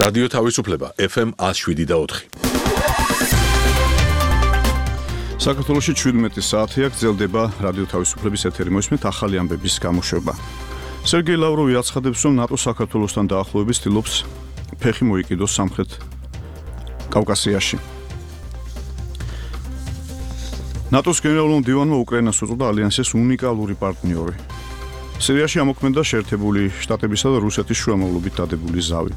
რადიო თავისუფლება FM 107.4. საქართველოში 17 საათია გრძელდება რადიო თავისუფლების ეთერი. მოისმენთ ახალი ამბების გამოშვება. სერგეი ლავროვი აცხადებს, რომ ნატო საქართველოსთან დაახლოების ცდილობს ფეხი მოიკიდოს სამხრეთ კავკასიაში. ნატოს გენერალურ მდივანმა უკრაინას უწოდა ალიანსის უნიკალური პარტნიორი. სირიაში ამოქმედა შეერთებული შტატებისა და რუსეთის შუამავლობით დადებული ზავი.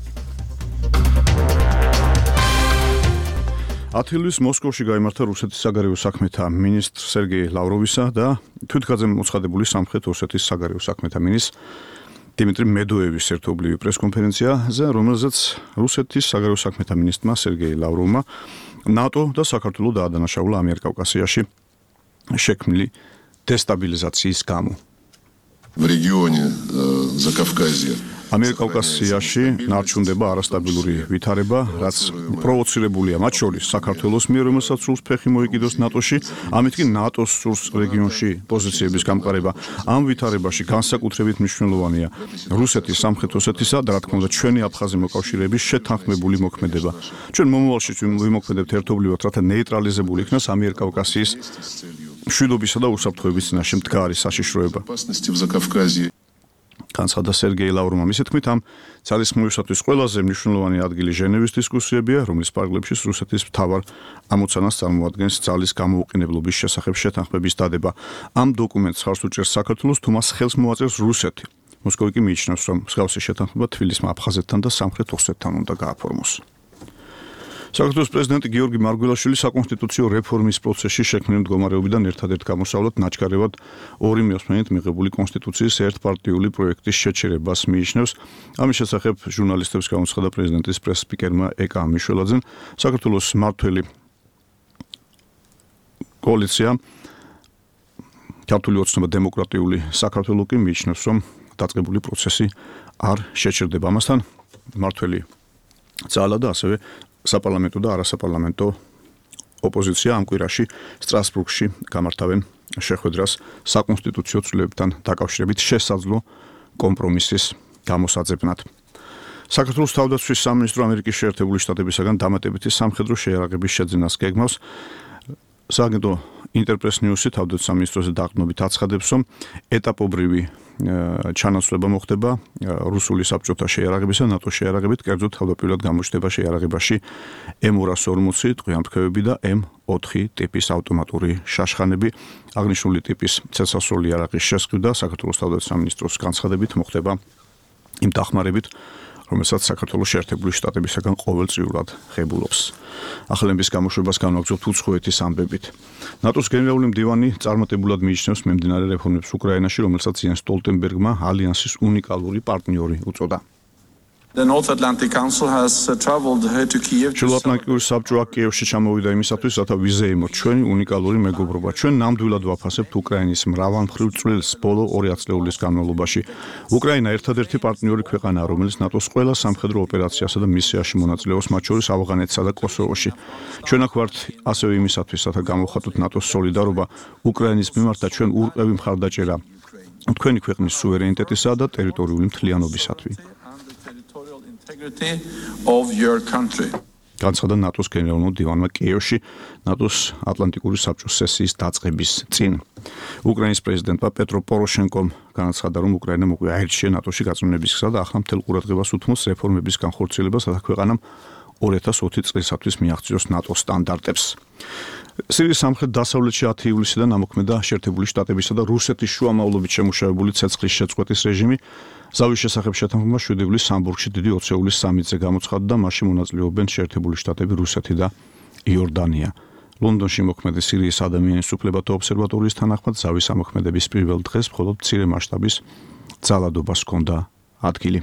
10 ივლისს მოსკოვში გაიმართა რუსეთის საგარეო საქმეთა მინისტრ სერგეი ლავროვისა და თვითგაძემ მოცხადებული სამხრეთ ოსეთის საგარეო საქმეთა მინისტრ დიმიტრი მედოევის ერთობლივი პრესკონფერენციაზე, რომელზეც რუსეთის საგარეო საქმეთა მინისტრმა სერგეი ლავროვმა ნატო და საქართველოს დაადანაშაულა ამიერკავკასიაში შექმნილი დესტაბილიზაციის გამო. В регионе Закавказья ამიერკავკასიაში ნარჩუნდება არასტაბილური ვითარება, რაც პროვოცირებულია მათ შორის საქართველოს მიერ, რომელსაც სურს ფეხი მოიკიდოს ნატოში, ამით კი ნატოს სურს რეგიონში პოზიციების გამყარება. ამ ვითარებაში განსაკუთრებით მნიშვნელოვანია რუსეთის, სამხრეთ ოსეთისა და რა თქმა უნდა ჩვენი აფხაზი მოკავშირეების შეთანხმებული მოქმედება. ჩვენ მომავალში ვიმოქმედებთ ერთობლივად, რათა ნეიტრალიზებული იქნას ამიერკავკასიის მშვიდობისა და უსაფრთხოების წინაშე მდგარი საშიშროება. განცხადა სერგეი ლავროვმა. მისი თქმით, ამ ძალისხმევისათვის ყველაზე მნიშვნელოვანი ადგილი ჟენევის დისკუსიებია, რომლის პარალელში რუსეთის მთავარ ამოცანას წარმოადგენს ძალის გამოუყენებლობის შესახებ შეთანხმების დადება. ამ დოკუმენტს ხარს უჭერს საქართველოს, თუ მას ხელს მოაწერს რუსეთი. მოსკოვი კი მიიჩნევს, რომ მსგავსი შეთანხმება თბილისმა აფხაზეთთან და სამხრეთ ოსეთთან უნდა გააფორმოს. საქართველოს პრეზიდენტი გიორგი მარგველაშვილი საკონსტიტუციო რეფორმის პროცესში შექმნილი მდგომარეობიდან ერთადერთ გამოსავლად ნაჩქარევად 2 მიოსმენით მიღებული კონსტიტუციის ერთპარტიული პროექტის შეჩერებას მიიჩნევს. ამის შესახებ ჟურნალისტებს გამოცხადა პრეზიდენტის პრეს-სპიკერმა ეკა მიშველაძემ. საქართველოს მმართველი კოალიცია ქართული ოცნება დემოკრატიული საქართველო კი მიიჩნევს, რომ დაწყებული პროცესი არ შეჩერდება. ამასთან მმართველი ძალა და ასევე საპარლამენტო და არასაპარლამენტო ოპოზიცია ამ კვირაში სტრასბურგში გამართავენ შეხვედრას საკონსტიტუციო ცვლილებებთან დაკავშირებით შესაძლო კომპრომისის გამოსაძებნად. საქართველოს თავდაცვის სამინისტრო ამერიკის შეერთებული შტატებისაგან დამატებითი სამხედრო შეიარაღების შეძენას გეგმავს. სააგენტო ინტერპრეს ნიუსი თავდაცვის სამინისტროზე დაყრდნობით აცხადებს, რომ ეტაპობრივი ჩანაცვლება მოხდება რუსული საბჭოთა შეიარაღებისა და ნატოს შეიარაღებით, კერძოდ თავდაპირველად გამოჩნდება შეიარაღებაში M240 ტყვიამფრქვევები და M4 ტიპის ავტომატური შაშხანები. აღნიშნული ტიპის ცეცხლსასროლი იარაღის შესყიდვა საქართველოს თავდაცვის სამინისტროს განცხადებით მოხდება იმ დახმარებით, რომელსაც საქართველოს შეერთებული შტატებისაგან ყოველწლიურად ღებულობს. ახალების გამოშვებას განვაგრძობთ უცხოეთის ამბებით. ნატოს გენერალური მდივანი წარმატებულად მიიჩნევს მიმდინარე რეფორმებს უკრაინაში, რომელსაც იენს სტოლტენბერგმა ალიანსის უნიკალური პარტნიორი უწოდა. The North Atlantic Council has traveled here to Kiev. შუაატლანტიკური საბჭო კიევში ჩამოვიდა იმისათვის, რათა ვიზეიმოთ ჩვენი უნიკალური მეგობრობა. ჩვენ ნამდვილად ვაფასებთ უკრაინის მრავალმხრივ წვლილს ბოლო 2 ათწლეულის განმავლობაში. უკრაინა ერთადერთი პარტნიორი ქვეყანაა, რომელიც ნატოს ყველა სამხედრო ოპერაციასა და მისიაში მონაწილეობს, მათ შორის ავღანეთსა და კოსოვოში. ჩვენ აქ ვართ ასევე იმისათვის, რათა გამოვხატოთ ნატოს სოლიდარობა უკრაინის მიმართ და ჩვენ ურყევი მხარდაჭერა თქვენი ქვეყნის სუვერენიტეტისა და ტერიტორიული მთლიანობისათვის. Of your country. განცხადა ნატოს გენერალურ მდივანმა კიევში ნატოს ატლანტიკური საბჭოს სესიის დაწყების წინ. უკრაინის პრეზიდენტმა პეტრო პოროშენკომ განაცხადა, რომ უკრაინა მოგვიაერჩია ნატოში გაწმენების გზა და ახლა მთელ ყურადღებას უთმობს რეფორმების განხორციელებას, რათა ქვეყანამ 2020 წლისათვის მიაღწიოს ნატოს სტანდარტებს. სირიის სამხრეთ-დასავლეთში 10 ივლისიდან ამოქმედა შეერთებული შტატებისა და რუსეთის შუამავლობით შემუშავებული ცეცხლის შეწყვეტის რეჟიმი. ზავის შესახებ შეთანხმება 7 ივლისს სამბურგში დიდი ოცეულის სამიტზე გამოცხადდა და მასში მონაწილეობენ შეერთებული შტატები, რუსეთი და იორდანია. ლონდონში მოქმედი სირიის ადამიანის უფლებათა ობსერვატორიის თანახმად ზავის ამოქმედების პირველ დღეს მხოლოდ მცირე მასშტაბის ძალადობას ჰქონდა ადგილი.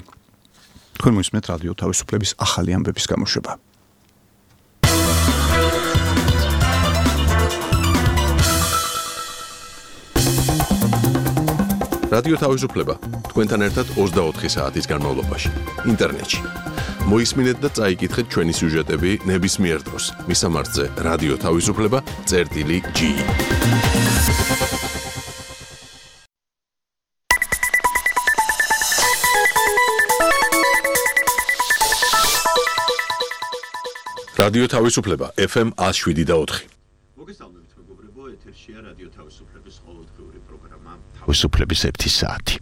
თქვენ მოისმენთ რადიო თავისუფლების ახალი ამბების გამოშვება. რადიო თავისუფლება თქვენთან ერთად 24 საათის განმავლობაში ინტერნეტში. მოისმინეთ და წაიკითხეთ ჩვენი სიუჟეტები ნებისმიერ დროს. მისამართზე რადიო თავისუფლება.g რადიო თავისუფლება FM 107.4. მოგესალმებით მეგობრებო, ეთერშია რადიო თავისუფლების ყოველდღიური პროგრამა თავისუფლების 1 საათი.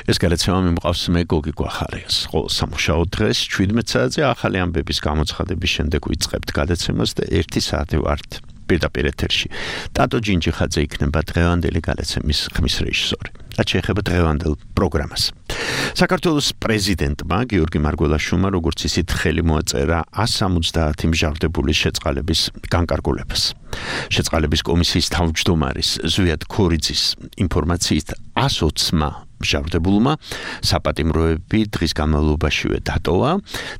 ეს გადაცემა მიმყავს მე გოგი გვახარიას. ყოველ სამუშაო დღეს 17 საათზე ახალი ამბების გამოცხადების შემდეგ ვიწყებთ გადაცემას და 1 საათი ვართ პირდაპირ ეთერში. ტატო ჯინჯიხაძე იქნება დღევანდელი გადაცემის ხმის რეჟისორი. რაც შეეხება დღევანდელ პროგრამას. საქართველოს პრეზიდენტმა გიორგი მარგველაშვილმა როგორც ისიც ხელი მოაწერა 170 მსჯავრდებულის შეწყალების განკარგულებას. შეწყალების კომისიის თავმჯდომარის ზვიად ქორიძის ინფორმაციით 120-მა მსჯავრდებულმა საპატიმროები დღის განმავლობაშივე დატოვა,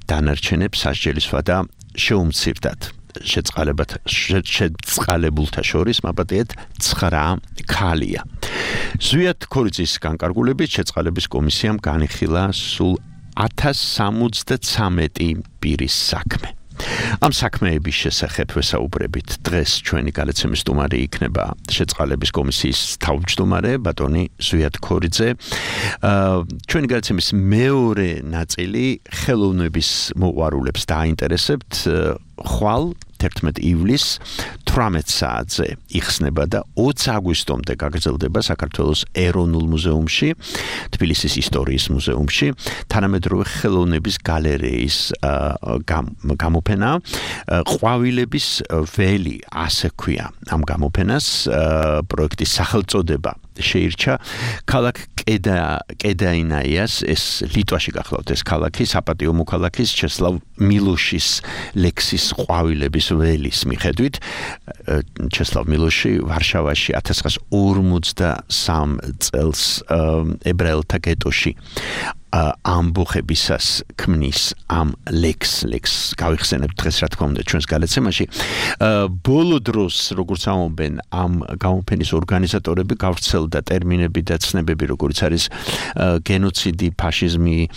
დანარჩენებს სასჯელისვა და შეუმცირდათ. შეწყალებულთა შორის მაპატიეთ 9 ქალია. ზვიად ქორიძის განკარგულებით შეწყალების კომისიამ განიხილა სულ 1073 პირის საქმე. ამ საქმეების შესახებ ვესაუბრებით დღეს ჩვენი გადაცემის სტუმარი იქნება შეწყალების კომისიის თავმჯდომარე ბატონი ზვიად ქორიძე. ჩვენი გადაცემის მეორე ნაწილი ხელოვნების მოყვარულებს დაინტერესებთ. ხვალ 11 ივლისს 18 საათზე იხსნება და 20 აგვისტომდე გაგრძელდება საქართველოს ეროვნულ მუზეუმში, თბილისის ისტორიის მუზეუმში, თანამედროვე ხელოვნების გალერეის გამოფენა ყვავილების ველი, ასე ქვია ამ გამოფენას, პროექტის სახელწოდება შეირჩა ქალაქ კედაინაიას, ეს ლიტვაში გახლავთ ეს ქალაქი, საპატიო მოქალაქის ჩესლავ მილოშის ლექსის ყვავილების ველის მიხედვით. ჩესლავ მილოში ვარშავაში 1953 წელს ებრაელთა გეტოში ამბოხებისას ქმნის ამ ლექსს გავიხსენებთ დღეს რა თქმა უნდა ჩვენს გადაცემაში. ბოლო დროს როგორც ამბობენ ამ გამოფენის ორგანიზატორები გავრცელდა ტერმინები და ცნებები როგორც არის გენოციდი, ფაშიზმი,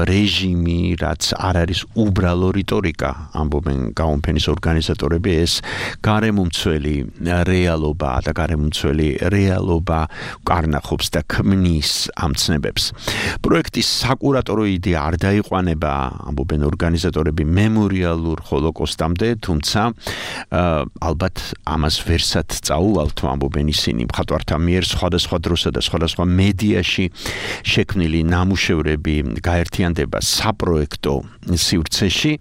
რეჟიმი, რაც არ არის უბრალო რიტორიკა, ამბობენ გამოფენის ორგანიზატორები, ეს გარემომცველი რეალობა და გარემომცველი რეალობა კარნახობს და ქმნის ამ ცნებებს. პროექტის საკურატორო იდეა არ დაიყვანება, ამბობენ ორგანიზატორები, მემორიალურ ჰოლოკოსტამდე, თუმცა ალბათ ამას ვერსად წაუვალთ, ამბობენ ისინი, მხატვართა მიერ სხვადასხვა დროსა და სხვადასხვა მედიაში შექმნილი ნამუშევრები გაერთიანდება საპროექტო სივრცეში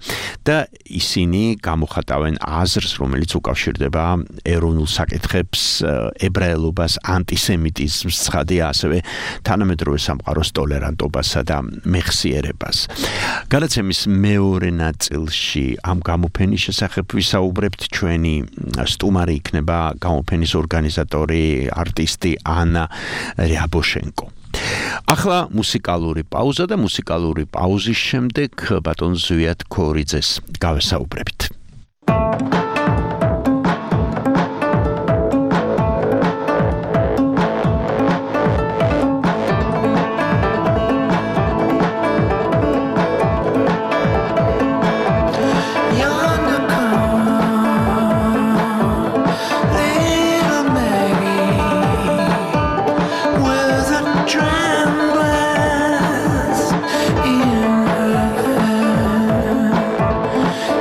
და ისინი გამოხატავენ აზრს, რომელიც უკავშირდება ეროვნულ საკითხებს, ებრაელობას, ანტისემიტიზმს, ცხადია ასევე თანამედროვე სამყაროს ტოლერანტობასა და მეხსიერებას. გადაცემის მეორე ნაწილში ამ გამოფენის შესახებ ვისაუბრებთ. ჩვენი სტუმარი იქნება გამოფენის ორგანიზატორი, არტისტი ანა რიაბოშენკო. ახლა მუსიკალური პაუზა და მუსიკალური პაუზის შემდეგ ბატონ ზვიად ქორიძეს გავესაუბრებით.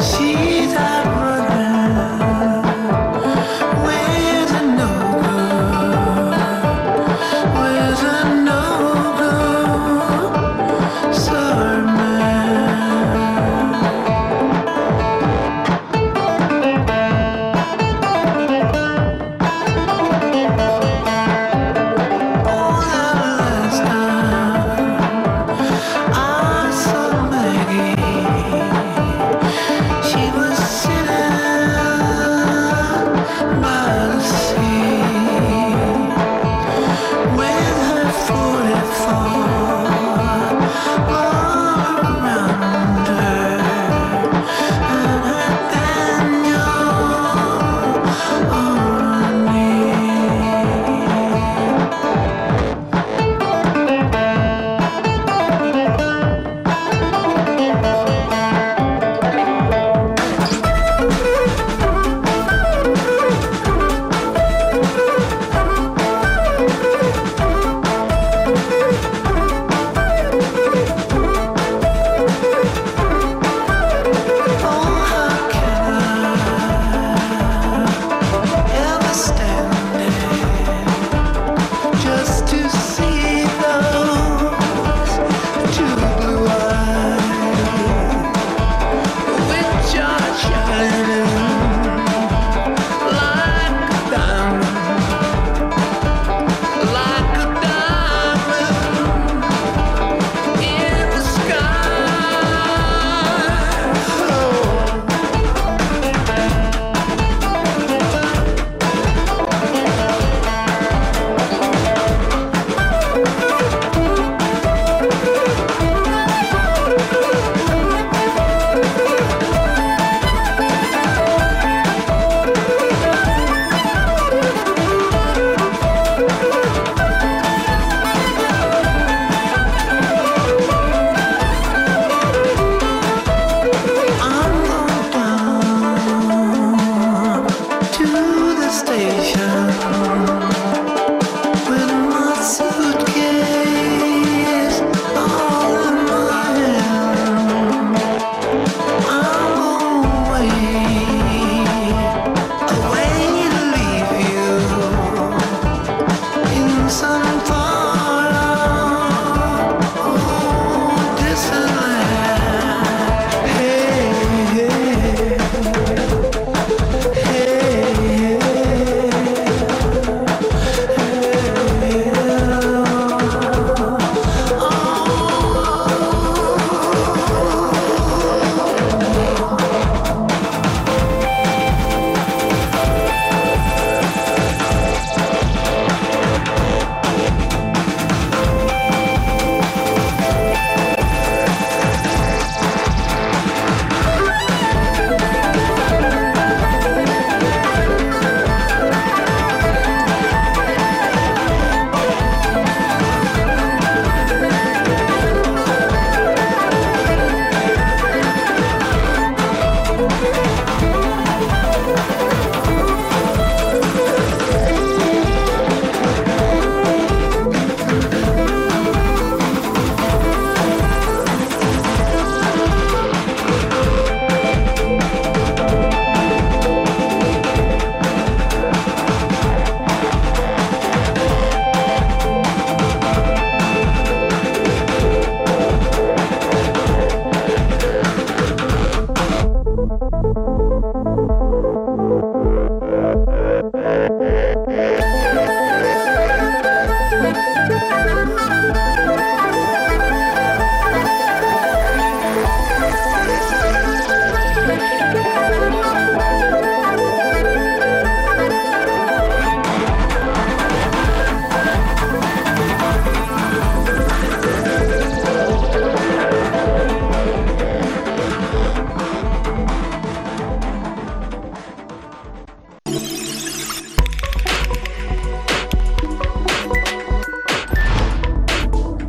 See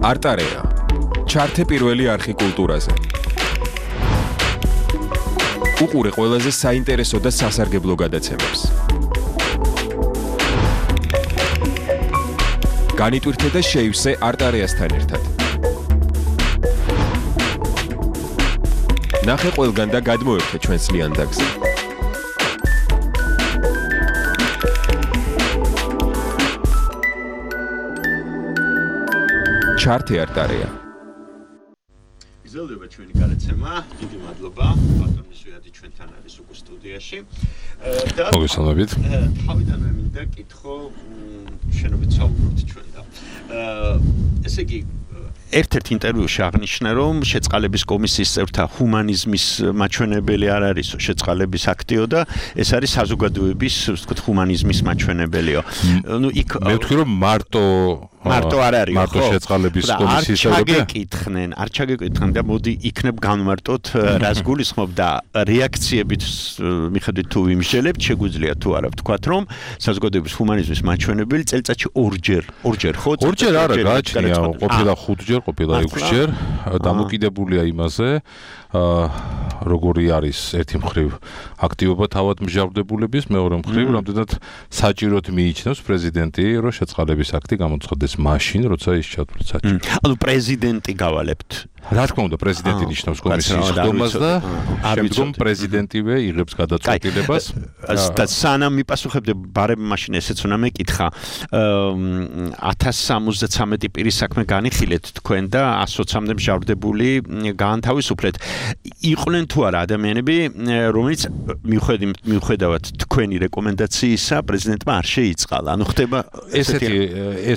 არტარეა. ჩართე პირველი არხი კულტურაზე. უყურე ყველაზე საინტერესო და სასარგებლო გადაცემებს. განიტვირთე და შეივსე არტარეასთან ერთად. ნახე ყველგან და გადმოერთე ჩვენს ლიანდაგზე. ჩართე არტარეა. იზოლდება ჩვენი გადაცემა. დიდი მადლობა. ბატონი სვიადი ჩვენთან არის უკვე სტუდიაში. და მოგესალმებით. თავიდანვე მინდა კითხო შენობით საუბრობთ ჩვენ და ესე იგი ერთ-ერთ ინტერვიუში აღნიშნა, რომ შეწყალების კომისიის წევრთა ჰუმანიზმის მაჩვენებელი არ არისო, შეწყალების აქტიო და ეს არის საზოგადოების, ვთქვათ, ჰუმანიზმის მაჩვენებელიო. ნუ იქ მე ვთქვი, რომ მარტო არ არის, მარტო შეწყალების კომისიის წევრები არ ჩაგეკითხნენ და მოდი იქნებ განვარტოთ, რას გულისხმობ და რეაქციებით მიხედვით თუ ვიმსჯელებთ, შეგვიძლია თუ არა ვთქვათ, რომ საზოგადოების ჰუმანიზმის მაჩვენებელი წელიწადში ორჯერ ხო? ორჯერ არა, გააჩნია, ყოფილა 5-ჯერ, ყოფილა 6-ჯერ, დამოკიდებულია იმაზე, როგორი არის ერთი მხრივ აქტივობა თავად მსჯავრდებულების, მეორე მხრივ რამდენად საჭიროდ მიიჩნევს პრეზიდენტი, რომ შეწყალების აქტი გამოცხადდეს მაშინ, როცა ის ჩათვლით საჭირო. ანუ პრეზიდენტი გავალებთ. რა თქმა უნდა, პრეზიდენტი ნიშნავს კომისიის ხდომას და შემდგომ პრეზიდენტივე იღებს გადაწყვეტილებას. და სანამ მიპასუხებდე, ბარემ მაშინ ესეც უნდა მეკითხა. 1063 პირის საქმე განიხილეთ თქვენ და 120-მდე მსჯავრდებული გაანთავისუფლეთ. იყვნენ თუ არა ადამიანები, რომელიც მიუხედავად თქვენი რეკომენდაციისა პრეზიდენტმა არ შეიწყალა. ანუ ხდება ეს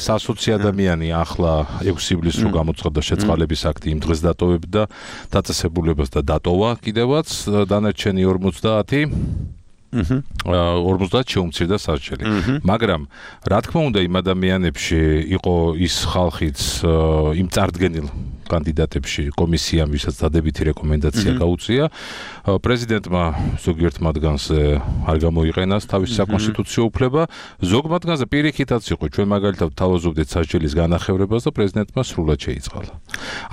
120 ადამიანი ახლა 6 ივლისს რო გამოცხადდა შეწყალების აქტი იმ დღეს დატოვებდა დაწესებულებას და დატოვა კიდევაც დანარჩენი 50 50 შეუმცირდა სარჩელი. მაგრამ რა თქმა უნდა იმ ადამიანებში იყო ის ხალხიც იმ წარდგენილ კანდიდატებში კომისიამ, ვისაც დადებითი რეკომენდაცია გაუწია, პრეზიდენტმა ზოგიერთ მათგანზე არ გამოიყენას თავისი საკონსტიტუციო უფლება, ზოგ მათგანზე პირიქითაც იყო, ჩვენ მაგალითად თავაზობდით სასჯელის განახევრებას და პრეზიდენტმა სრულად შეიწყალა.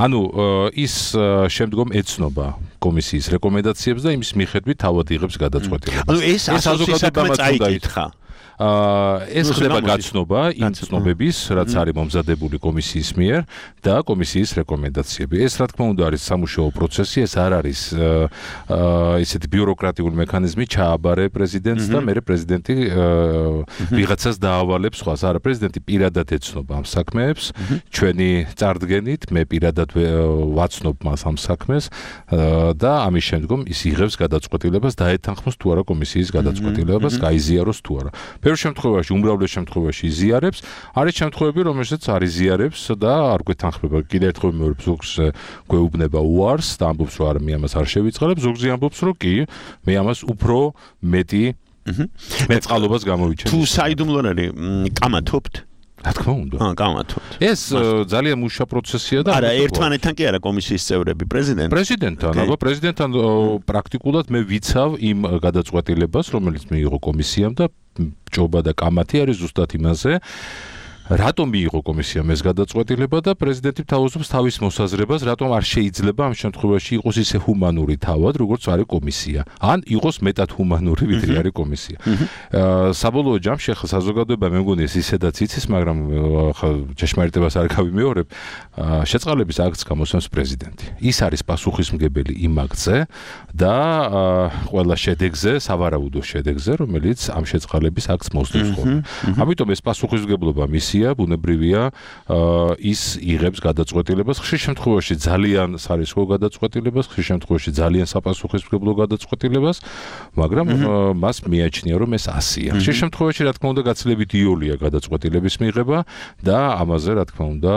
ანუ ის შემდგომ ეცნობა კომისიის რეკომენდაციებს და იმის მიხედვით თავად იღებს გადაწყვეტილებას. ანუ ეს საზოგადოებამ წაიკითხა. ეს ხდება გაცნობა იმ ცნობების, რაც არის მომზადებული კომისიის მიერ და კომისიის რეკომენდაციები. ეს რა თქმა უნდა არის სამუშაო პროცესი, ეს არ არის ესეთი ბიუროკრატიული მექანიზმი ჩააბარე პრეზიდენტს და მერე პრეზიდენტი ვიღაცას დაავალებს სხვას. არა, პრეზიდენტი პირადად ეცნობა ამ საქმეებს, ჩვენი წარდგენით მე პირადად ვაცნობ მას ამ საქმეს და ამის შემდგომ ის იღებს გადაწყვეტილებას დაეთანხმოს თუ არა კომისიის გადაწყვეტილებას, გაიზიაროს თუ არა. ბევრ შემთხვევაში, უმრავლეს შემთხვევაში იზიარებს, არის შემთხვევები, რომელშიც არ იზიარებს და არ გვეთანხმება. კიდევ ერთხელ მეორე ზოგს გვეუბნება უარს და ამბობს, რომ არა, მე ამას არ შევიწყალებ, ზოგზე ამბობს, რომ კი, მე ამას უფრო მეტი მეწყალობას გამოვიჩენე. თუ საიდუმლო არის, კამათობთ? რა თქმა უნდა. კამათობთ. ეს ძალიან მუშა პროცესია და არა, ერთმანეთთან კი არა კომისიის წევრები, პრეზიდენტთან, აბა პრეზიდენტთან პრაქტიკულად მე ვიცავ იმ გადაწყვეტილებას, რომელიც მიიღო კომისიამ და ჭობა და კამათი არის ზუსტად იმაზე. რატომ მიიღო კომისიამ ეს გადაწყვეტილება და პრეზიდენტი თავაზობს თავის მოსაზრებას, რატომ არ შეიძლება ამ შემთხვევაში იყოს ისე ჰუმანური თავად, როგორც არის კომისია, ან იყოს მეტად ჰუმანური, ვიდრე არის კომისია. საბოლოო ჯამში ახლა საზოგადოება მე მგონი ისედაც იცის, მაგრამ ახლა ჭეშმარიტებას არ გავიმეორებ, შეწყალების აქტს გამოსცემს პრეზიდენტი. ის არის პასუხისმგებელი იმ აქტზე და ყველა შედეგზე, სავარაუდო შედეგზე, რომელიც ამ შეწყალების აქტს მოსდევს ხოლმე. ამიტომ ეს პასუხისმგებლობა მისი ბუნებრივია ის იღებს გადაწყვეტილებას ხშირ შემთხვევაში ძალიან სარისკო გადაწყვეტილებას ხშირ შემთხვევაში ძალიან საპასუხისმგებლო გადაწყვეტილებას მაგრამ მას მიაჩნია რომ ეს 100-ია ხშირ შემთხვევაში რა თქმა უნდა გაცილებით იოლია გადაწყვეტილების მიღება და ამაზე რა თქმა უნდა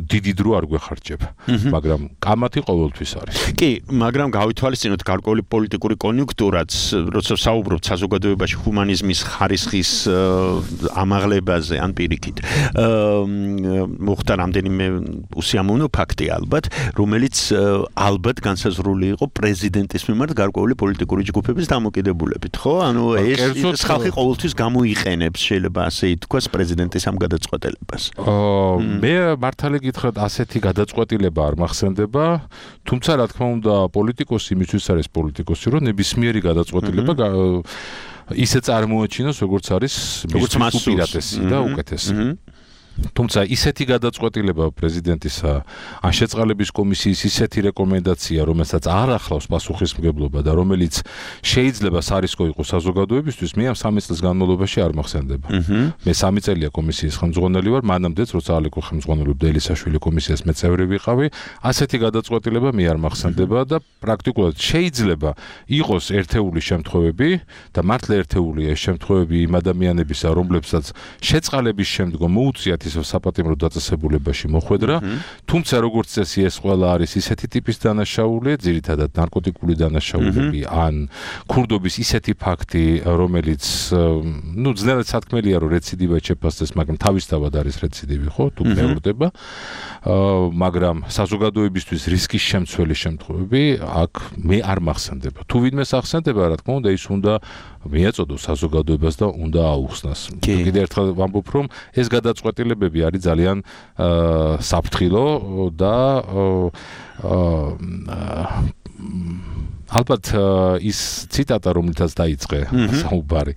დიდი დრო არ გვეხარჯება მაგრამ კამათი ყოველთვის არის კი მაგრამ გავითვალისწინოთ გარკვეული პოლიტიკური კონიუნქტურაც როცა საუბრობთ საზოგადოებაში ჰუმანიზმის ხარისხის ამაღლებაზე ან პირიქით მოხდა რამდენიმე უსიამოვნო ფაქტი ალბათ, რომელიც ალბათ განსაზღვრული იყო პრეზიდენტის მიმართ გარკვეული პოლიტიკური ჯგუფების დამოკიდებულებით, ხო? ანუ ეს ხალხი ყოველთვის გამოიყენებს, შეიძლება ასე ითქვას, პრეზიდენტის ამ გადაწყვეტილებას. მე მართალი გითხრათ, ასეთი გადაწყვეტილება არ მახსენდება, თუმცა რა თქმა უნდა, პოლიტიკოსი იმისთვის არის პოლიტიკოსი, რომ ნებისმიერი გადაწყვეტილება ისე წარმოაჩინოს, როგორც არის მისთვის უპირატესი და უკეთესი. თუმცა ისეთი გადაწყვეტილება პრეზიდენტისა ან შეწყალების კომისიის ისეთი რეკომენდაცია, რომელსაც არ ახლავს პასუხისმგებლობა და რომელიც შეიძლება სარისკო იყოს საზოგადოებისთვის, მე ამ 3 წლის განმავლობაში არ მახსენდება. მე 3 წელია კომისიის ხელმძღვანელი ვარ, მანამდეც როცა ალეკო ხელმძღვანელობდა ელისაშვილი კომისიას მე წევრი ვიყავი, ასეთი გადაწყვეტილება მე არ მახსენდება და პრაქტიკულად შეიძლება იყოს ერთეული შემთხვევები და მართლა ერთეულია ეს შემთხვევები იმ ადამიანებისა, რომლებსაც შეწყალების შემდგომ მოუწიათ საპატიმრო დაწესებულებაში მოხვედრა, თუმცა როგორც წესი ეს ყველა არის ისეთი ტიპის დანაშაული, ძირითადად ნარკოტიკული დანაშაულები ან ქურდობის ისეთი ფაქტი, რომელიც ძნელად სათქმელია რომ რეციდივად შეფასდეს, მაგრამ თავისთავად არის რეციდივი, ხო, თუ მეორდება, მაგრამ საზოგადოებისთვის რისკის შემცველი შემთხვევები აქ მე არ მახსენდება. თუ ვინმეს ახსენდება, რა თქმა უნდა, ის უნდა მიაწოდოს საზოგადოებას და უნდა აუხსნას. კიდევ ერთხელ ვამბობ, რომ ეს გადაწყვეტილებები არის ძალიან საფრთხილო და ალბათ ის ციტატა რომელთაც დაიწყე საუბარი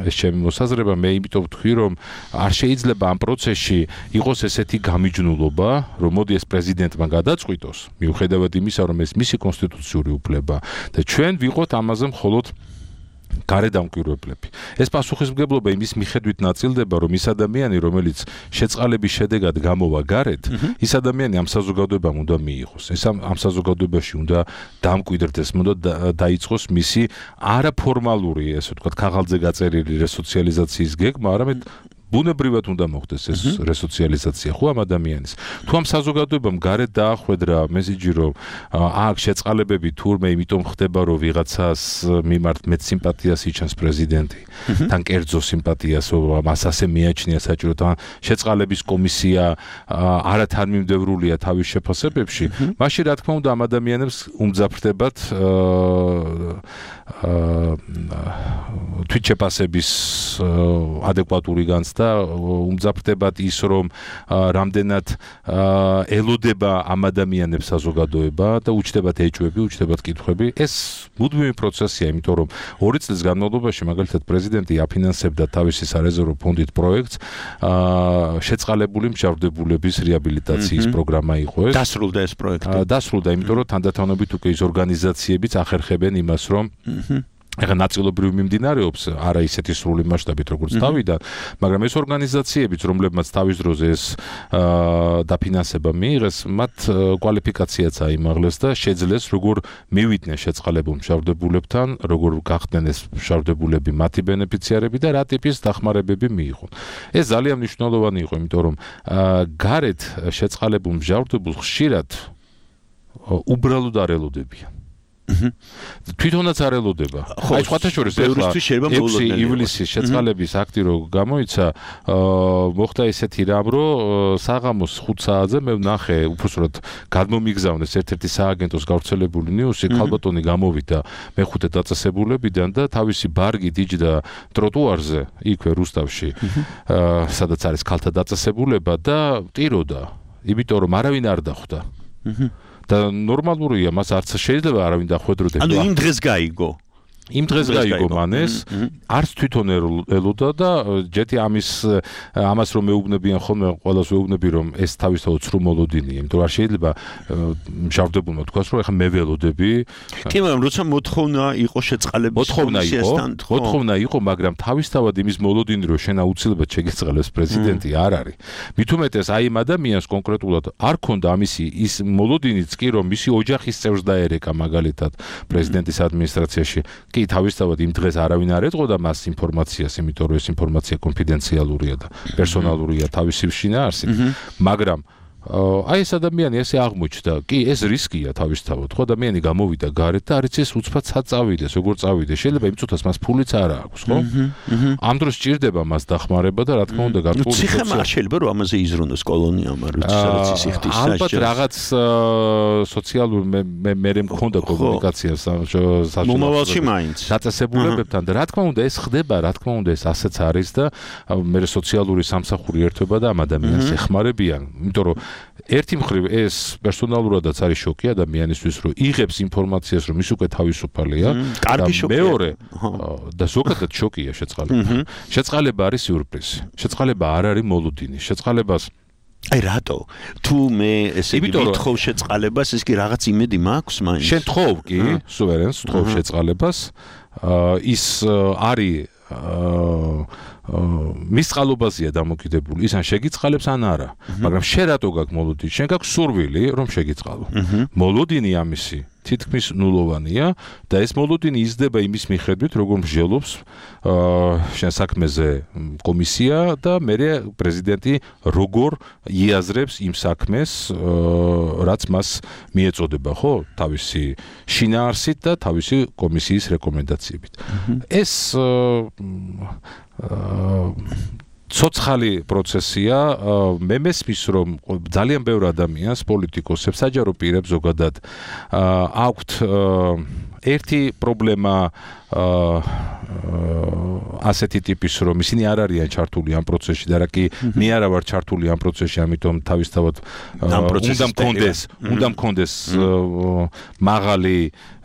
ეს ჩემი მოსაზრება მე იმიტომ ვთქვი რომ არ შეიძლება ამ პროცესში იყოს ესეთი გამიჯნულობა რომ მოდი ეს პრეზიდენტმა გადაწყვიტოს მიუხედავად იმისა რომ ეს მისი კონსტიტუციური უფლება და ჩვენ ვიყოთ ამაზე მხოლოდ გარედამკვირვებლები. ეს პასუხისმგებლობა იმის მიხედვით ნაწილდება, რომ ის ადამიანი, რომელიც შეწყალების შედეგად გამოვა გარეთ, ის ადამიანი ამ საზოგადოებამ უნდა მიიღოს. ეს ამ საზოგადოებაში უნდა დამკვიდრდეს, უნდა დაიწყოს მისი არაფორმალური, ესე ვთქვათ, ქაღალდზე გაწერილი რესოციალიზაციის გეგმა, არამედ ბუნებრივად უნდა მოხდეს ეს რესოციალიზაცია ხო ამ ადამიანის. თუ ამ საზოგადოებამ გარეთ დაახვედრა მესიჯი, რომ აქ შეწყალებები თურმე იმიტომ ხდება, რომ ვიღაცას მიმართ მეც სიმპათიას იჩენს პრეზიდენტი, თან კერძო სიმპათიას, მას ასე მიაჩნია საჭირო, შეწყალების კომისია არათანმიმდევრულია თავის შეფასებებში, მაშინ რა თქმა უნდა ამ ადამიანებს უმძაფრდებათ თვითშეფასების ადეკვატური განცდა და უმძაფრდებათ ის რომ რამდენად ელოდება ამ ადამიანებს საზოგადოება და უჩნდებათ ეჭვები, უჩნდებათ კითხვები. ეს მუდმივი პროცესია, იმიტომ რომ 2 წლის განმავლობაში მაგალითად პრეზიდენტი აფინანსებდა თავისი სარეზერვო ფონდით პროექტს შეწყალებული მსჯავრდებულების რეაბილიტაციის პროგრამა იყო ეს. დასრულდა ეს პროექტი. დასრულდა, იმიტომ რომ თანდათანობით უკვე ის ორგანიზაციებიც ახერხებენ იმას, რომ ეხლა ნაწილობრივ მიმდინარეობს, არა ისეთი სრული მასშტაბით როგორც თავიდან, მაგრამ ეს ორგანიზაციებიც, რომლებმაც თავის დროზე ეს დაფინანსება მიიღეს, მათ კვალიფიკაციაც აიმაღლეს და შეძლეს როგორ მივიდნენ შეწყალებულ მსჯავრდებულებთან, როგორ გახდნენ ეს მსჯავრდებულები მათი ბენეფიციარები და რა ტიპის დახმარებები მიიღონ. ეს ძალიან მნიშვნელოვანი იყო, იმიტომ რომ გარეთ შეწყალებულ მსჯავრდებულს ხშირად უბრალოდ არ ელოდებიან. თვითონაც არ ელოდება. აი სხვათა შორის ეხლა 6 ივლისის შეწყალების აქტი რო გამოიცა, მოხდა ესეთი რამ, რომ საღამოს 5 საათზე მე ვნახე, უბრალოდ გადმომიგზავნეს ერთ-ერთი სააგენტოს გავრცელებული ნიუსი, ქალბატონი გამოვიდა მეხუთე დაწესებულებიდან და თავისი ბარგით იჯდა ტროტუარზე, იქვე რუსთავში, სადაც არის ქალთა დაწესებულება და ტიროდა, იმიტომ რომ არავინ არ დახვდა. და ნორმალურია, მას არც შეიძლება არავინ დახვედროდეს. ანუ იმ დღეს გაიგო. იმ დღეს გაიგო მანეს, არც თვითონ ელოდა და ჯეთი ამას რომ მეუბნებიან ხოლმე, ყველას ვეუბნები რომ ეს თავისთავად სრულ მოლოდინია, იმიტომ რომ არ შეიძლება მშავდებულმა თქვას რომ ეხლა მე ველოდები. კი, მაგრამ როცა მოთხოვნა იყო შეწყალების კომისიასთან, მოთხოვნა იყო, მაგრამ თავისთავად იმის მოლოდინი რომ შენ აუცილებლად შეგეწყალებს პრეზიდენტი არ არის. მით უმეტეს აი იმ ადამიანს კონკრეტულად არ ქონდა ამისი ის მოლოდინიც კი რომ მისი ოჯახის წევრს დაერეკა მაგალითად პრეზიდენტის ადმინისტრაციაში. კი თავისთავად იმ დღეს არავინ არ ეტყოდა მას ინფორმაციას, იმიტომ რომ ეს ინფორმაცია კონფიდენციალურია და პერსონალურია თავისი შინაარსით, მაგრამ აი ეს ადამიანი ესე აღმოჩნდა, კი ეს რისკია თავისთავად, ხო ადამიანი გამოვიდა გარეთ და არ იცი ეს უცბად წავიდეს, როგორ წავიდეს, შეიძლება იმ წუთას მას ფულიც არ აქვს, ხო? ამ დროს სჭირდება მას დახმარება და რა თქმა უნდა გარკვეული ციხემ არ შეიძლება რომ ამაზე იზრუნოს კოლონიამ, სადაც ის იხდის საჭირო. ალბათ რაღაც სოციალურ მე მქონდა კომუნიკაცია მომავალში მაინც დაწესებულებებთან და რა თქმა უნდა ეს ხდება, რა თქმა უნდა ეს ასეც არის და მე სოციალური სამსახური ერთვება და ამ ადამიანს ეხმარებიან, იმიტომ რომ ერთი მხრივ ეს პერსონალურადაც არის შოკი ადამიანისთვის, რომ იღებს ინფორმაციას, რომ ის უკვე თავისუფალია. კარგი შოკია. მეორე და ზოგადად შოკია შეწყალება. შეწყალება არის სიურპრიზი. შეწყალება არ არის მოლოდინი. შეწყალებას აი რატო? თუ მე ესე ვითხავ შეწყალებას, ეს კი რაღაც იმედი მაქვს მაინც. შენ თხოვ კი, სუვერენს თხოვ შეწყალებას. ის არის მის წყალობაზეა დამოკიდებული, ის ან შეგიწყალებს ან არა, მაგრამ შენ რატო გაქვს მოლოდინი? შენ გაქვს სურვილი რომ შეგიწყალო. მოლოდინი ამისი თითქმის ნულოვანია და ეს მოლოდინი იზრდება იმის მიხედვით, როგორ მსჯელობს შენ საქმეზე კომისია და მერე პრეზიდენტი როგორ იაზრებს იმ საქმეს, რაც მას მიეწოდება, ხო, თავისი შინაარსით და თავისი კომისიის რეკომენდაციებით. ეს ცოცხალი პროცესია, მე მესმის რომ ძალიან ბევრ ადამიანს, პოლიტიკოსებს, საჯარო პირებს ზოგადად აქვთ ერთი პრობლემა ასეთი ტიპის, რომ ისინი არ არიან ჩართული ამ პროცესში და რა კი მე არა ვარ ჩართული ამ პროცესში, ამიტომ თავისთავად უნდა მქონდეს მაღალი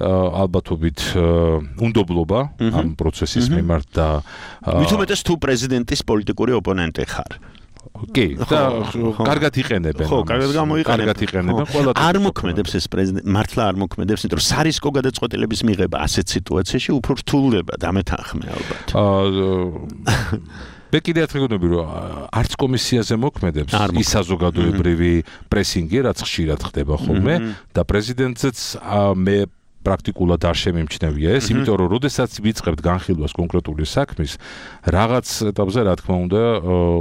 ალბათობით უნდობლობა ამ პროცესის მიმართ და მით უმეტეს თუ პრეზიდენტის პოლიტიკური ოპონენტი ხარ. კი, და კარგად იყენებენ. ხო, კარგად გამოიყენებენ. ყველა არ მოქმედებს ეს პრეზიდენტი, მართლა არ მოქმედებს, იმიტომ რომ სარისკო გადაწყვეტილების მიღება ასეთ სიტუაციაში უფრო რთულდება, დამეთანხმე ალბათ. მე კიდე ათრიგონები რომ არც კომისიაზე მოქმედებს ის საზოგადოებრივი პრესინგი, რაც ხშირად ხდება ხოლმე და პრეზიდენტზეც მე პრაქტიკულად არ შემემჩნევია ეს, იმიტომ რომ როდესაც ვიწყებთ განხილვას კონკრეტული საქმის, რაღაც ეტაპზე რა თქმა უნდა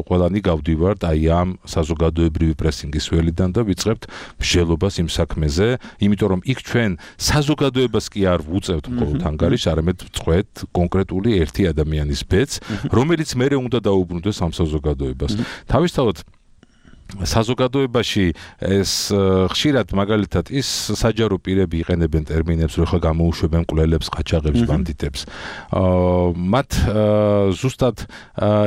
ყველანი გავდივართ აი ამ საზოგადოებრივი პრესინგის ველიდან და ვიწყებთ მსჯელობას იმ საქმეზე, იმიტომ რომ იქ ჩვენ საზოგადოებას კი არ ვუწევთ მხოლოდ ანგარიშს, არამედ ვწყვეტ კონკრეტული ერთი ადამიანის ბედს, რომელიც მერე უნდა დაუბრუნდეს ამ საზოგადოებას. თავისთავად საზოგადოებაში ეს ხშირად მაგალითად ის საჯარო პირები იყენებენ ტერმინებს, რომ ხა გამოუშვებენ მკვლელებს, ყაჩაღებს, ბანდიტებს. მათ ზუსტად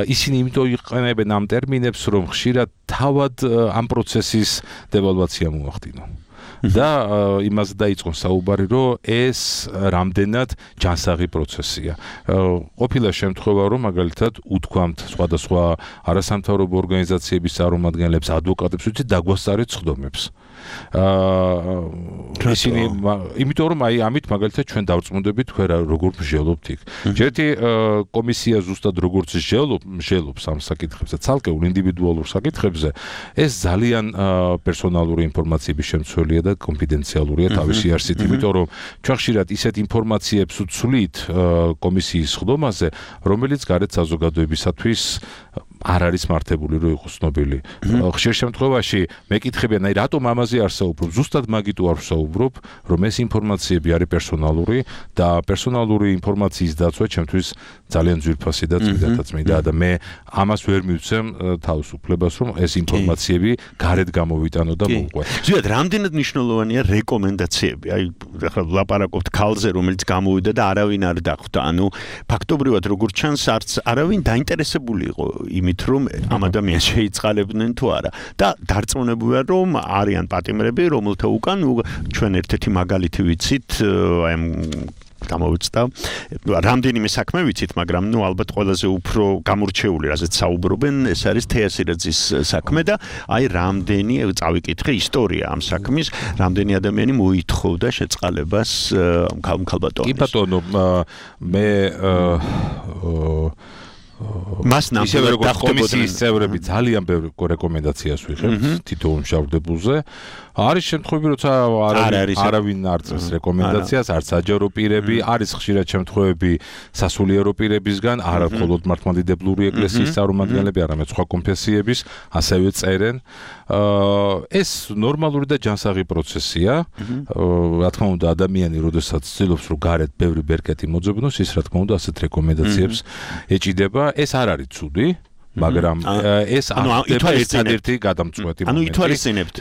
ისინი იმიტომ იყენებენ ამ ტერმინებს, რომ ხშირად თავად ამ პროცესის დევალვაცია მოახდინონ. და იმას დაიწყონ საუბარი, რომ ეს რამდენად ჯანსაღი პროცესია. ყოფილა შემთხვევა, რომ მაგალითად უთქვამთ სხვადასხვა არასამთავრობო ორგანიზაციების წარმომადგენლებს, ადვოკატებს, ვთქვით დაგვასწარეთ სხდომებს. ისინი იმიტომ რომ ამით მაგალითად ჩვენ დავწმუნდებით თქვენ როგორ მსჯელობთ იქ. ჯერტი კომისია ზუსტად როგორც მსჯელობს ამ საკითხებზე, ცალკეულ ინდივიდუალურ საკითხებზე, ეს ძალიან პერსონალური ინფორმაციების შემცველია და კონფიდენციალურია თავისი არსით, იმიტომ რომ ჩვენ ხშირად ისეთ ინფორმაციებს ვცვლით კომისიის სხდომაზე, რომელიც გარეთ საზოგადოებისათვის არ არის მართებული რომ იყოს ცნობილი. ხშირ შემთხვევაში მეკითხებიან, აი რატომ ამაზე არ საუბრობ? ზუსტად მაგით არ ვსაუბრობ, რომ ეს ინფორმაციები არის პერსონალური და პერსონალური ინფორმაციის დაცვა ჩემთვის ძალიან ძვირფასი და წმინდა და მე ამას ვერ მივცემ თავისუფლებას, რომ ეს ინფორმაციები გარეთ გამოვიტანო და მოვყვე. ზოგადად რამდენად მნიშვნელოვანია რეკომენდაციები? აი ახლა ვლაპარაკობთ ქალზე, რომელიც გამოვიდა და არავინ არ დახვდა. ანუ ფაქტობრივად როგორც ჩანს, არც არავინ დაინტერესებული იყო იმით, რომ ამ ადამიანს შეიწყალებდნენ თუ არა. და დარწმუნებულია, რომ არიან პატიმრები, რომელთა უკან ჩვენ ერთ-ერთი მაგალითი ვიცით, აი ამ გამოვიცდა. რამდენიმე საქმე ვიცით, მაგრამ ალბათ ყველაზე უფრო გამორჩეული, რაზეც საუბრობენ, ეს არის თეასირაძის საქმე და აი რამდენი წავიკითხე ისტორია ამ საქმის, რამდენი ადამიანი მოითხოვდა შეწყალებას ქალბატონის. კი ბატონო, მე მას ნამდვილად კომისიის წევრები ძალიან ბევრ რეკომენდაციას ვიღებთ თითოეულ მშავდებულზე. არის შემთხვევები, როცა არავინ არ წერს რეკომენდაციას, არც საჯარო პირები, არის ხშირად შემთხვევები სასულიერო პირებისგან, არა მხოლოდ მართლმადიდებლური ეკლესიის წარმომადგენლები, არამედ სხვა კონფესიების, ასევე წერენ. ეს ნორმალური და ჯანსაღი პროცესია. რა თქმა უნდა, ადამიანი, როდესაც ცდილობს, რომ გარეთ ბევრი ბერკეტი მოძებნოს, ის რა თქმა უნდა, ასეთ რეკომენდაციებს ეჭიდება. ეს არ არის ცუდი, მაგრამ ეს ერთადერთი გადამწყვეტი მომენტი. ანუ ითვალისწინებთ.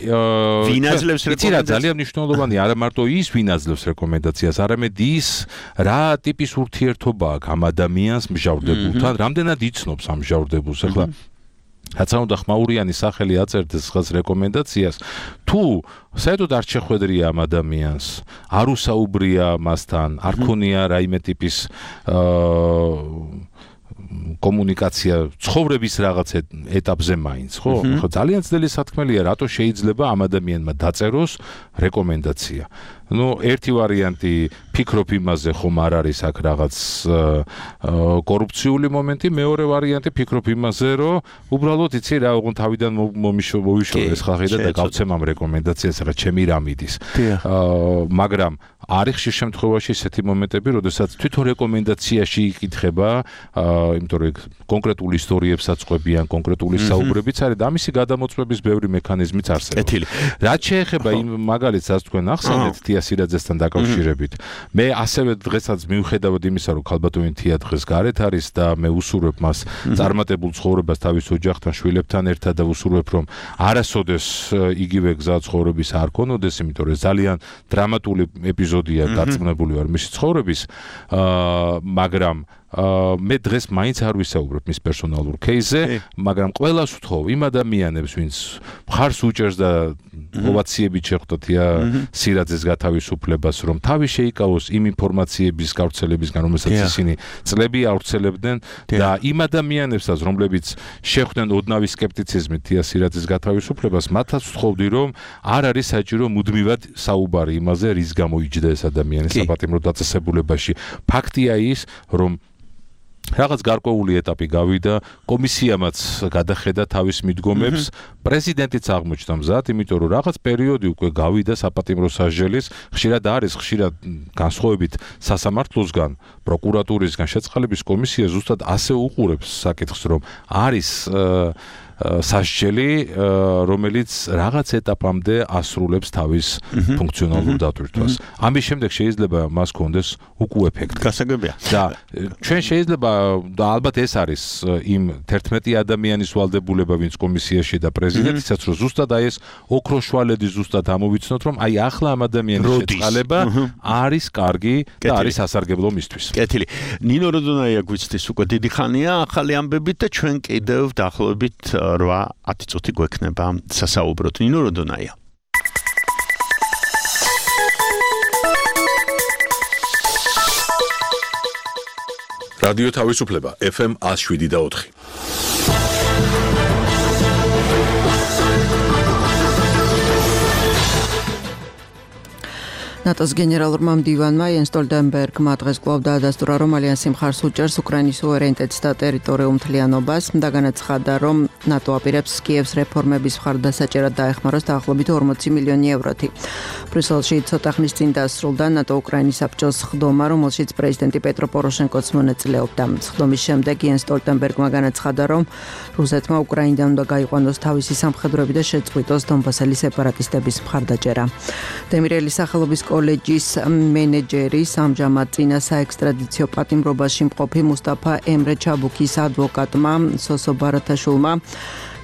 ვინ აძლევს რეკომენდაციას? ძალიან მნიშვნელოვანი არა მარტო ის, ვინ აძლევს რეკომენდაციას, არამედ ის, რა ტიპის ურთიერთობა აქვს ამ ადამიანს მსჯავრდებულთან, რამდენად იცნობს ამ მსჯავრდებულს. ახლა რაცა უნდა ხმაურიანი სახელი აწერდეს ხას რეკომენდაციას, თუ საერთოდ არ შეხვედრია ამ ადამიანს, არ უსაუბრია მასთან, არ ქონია რაიმე ტიპის კომუნიკაცია ცხოვრების რაღაც ეტაპზე მაინც, ხო? ხო, ძალიან ძნელი სათქმელია, რატო შეიძლება ამ ადამიანმა დაწეროს რეკომენდაცია. Ну, ერთი ვარიანტი ფიქრობ იმაზე, ხომ არ არის აქ რაღაც კორუფციული მომენტი, მეორე ვარიანტი ფიქრობ იმაზე, რომ უბრალოდ იცი რა, ოღონდ თავიდან მოვიშორე ეს ხალხი და გავცემ ამ რეკომენდაციას, ახლა ჩემი რამ იდის. მაგრამ არის ხშირ შემთხვევაში ესეთი მომენტები, როდესაც თვითონ რეკომენდაციაში იკითხება, იმიტომ რომ კონკრეტული ისტორიებსაც ყვებიან, კონკრეტული საუბრებიც არის და ამისი გადამოწმების ბევრი მექანიზმიც არსებობს. რაც შეეხება იმ მაგალითს, რაც თქვენ ახსენეთ, თეასირაძესთან დაკავშირებით, მე ასევე დღესაც მიუხედავად იმისა, რომ ქალბატონი თეა დღეს გარეთ არის და მე უსურვებ მას წარმატებულ ცხოვრებას თავის ოჯახთან, შვილებთან ერთად და უსურვებ, რომ არასოდეს იგივე გზა ცხოვრების არ ქონოდეს, იმიტომ რომ ძალიან დრამატული ეპიზოდია დაწნებული ვარ მისი ცხოვრების, მაგრამ მე დღეს მაინც არ ვისაუბრებ მის პერსონალურ кейსზე, მაგრამ ყველას ვთხოვ იმ ადამიანებს, ვინც მხარს უჭერს და ოვაციებით შეხვდათ სირაძეს გათავისუფლებას, რომ თავი შეიკავოს იმ ინფორმაციების გავრცელებისგან, რომელსაც ისინი წლები ავრცელებდნენ და იმ ადამიანებსაც, რომლებიც შეხვდნენ ოდნავი სკეპტიციზმით სირაძეს გათავისუფლებას, მათაც ვთხოვდი, რომ არ არის საჭირო მუდმივად საუბარი იმაზე, რის გამო იჯდა ეს ადამიანი საპატიმრო დაწესებულებაში. ფაქტია ის, რომ რაღაც გარკვეული ეტაპი გავიდა, კომისიამაც გადახედა თავის მიდგომებს, პრეზიდენტიც აღმოჩნდა მზად, იმიტომ რომ რაღაც პერიოდი უკვე გავიდა საპატიმრო სასჯელის, ხშირად განსხვავებით სასამართლოსგან, პროკურატურისგან შეწყალების კომისია ზუსტად ასე უყურებს საკითხს, რომ არის სასჯელი, რომელიც რაღაც ეტაპამდე ასრულებს თავის ფუნქციონალურ დატვირთვას. ამის შემდეგ შეიძლება მას კონდეს უკუ ეფექტი. გასაგებია. და ჩვენ შეიძლება და ალბათ ეს არის იმ 11 ადამიანის ვალდებულება, ვინც კომისიაში და პრეზიდენტისაც, რომ ზუსტად აი ეს ოქროშვალედი ზუსტად ამოვიცნოთ, რომ აი ახლა ამ ადამიანის შეწყალება არის კარგი და არის სასარგებლო მისთვის. კეთილი. ნინო როდონაია გვიცდის უკვე დიდი ხანია ახალი ამბებით და ჩვენ კიდევ დაახლოებით 8-10 წუთი გვექნება სასაუბროთ. ნინო როდონაია. რადიო თავისუფლება FM 107.4. ნატოს გენერალურმა მდივანმა იენს სტოლტენბერგმა დღეს კვლავ დაადასტურა, რომ ალიანსი მხარს უჭერს უკრაინის სუვერენიტეტს და ტერიტორიულ მთლიანობას და განაცხადა, რომ ნატო აპირებს კიევს რეფორმების მხარდასაჭერად დაეხმაროს დაახლოებით 40 მილიონი ევროთი. ბრიუსელში ცოტა ხნის წინ დასრულდა ნატო-უკრაინის საბჭოს სხდომა, რომელშიც პრეზიდენტი პეტრო პოროშენკოც მონაწილეობდა. სხდომის შემდეგ იენს სტოლტენბერგმა განაცხადა, რომ რუსეთმა უკრაინიდან უნდა გაიყვანოს თავისი სამხედროები და შეწყვიტოს დონბასელი სეპარატისტების მხარდაჭერა. დემირელის სახელობის კოლეჯის მენეჯერის ამჟამად წინა საექსტრადიციო პატიმრობაში მყოფი მუსტაფა ემრე ჩაბუქის ადვოკატმა სოსო ბარათაშვილმა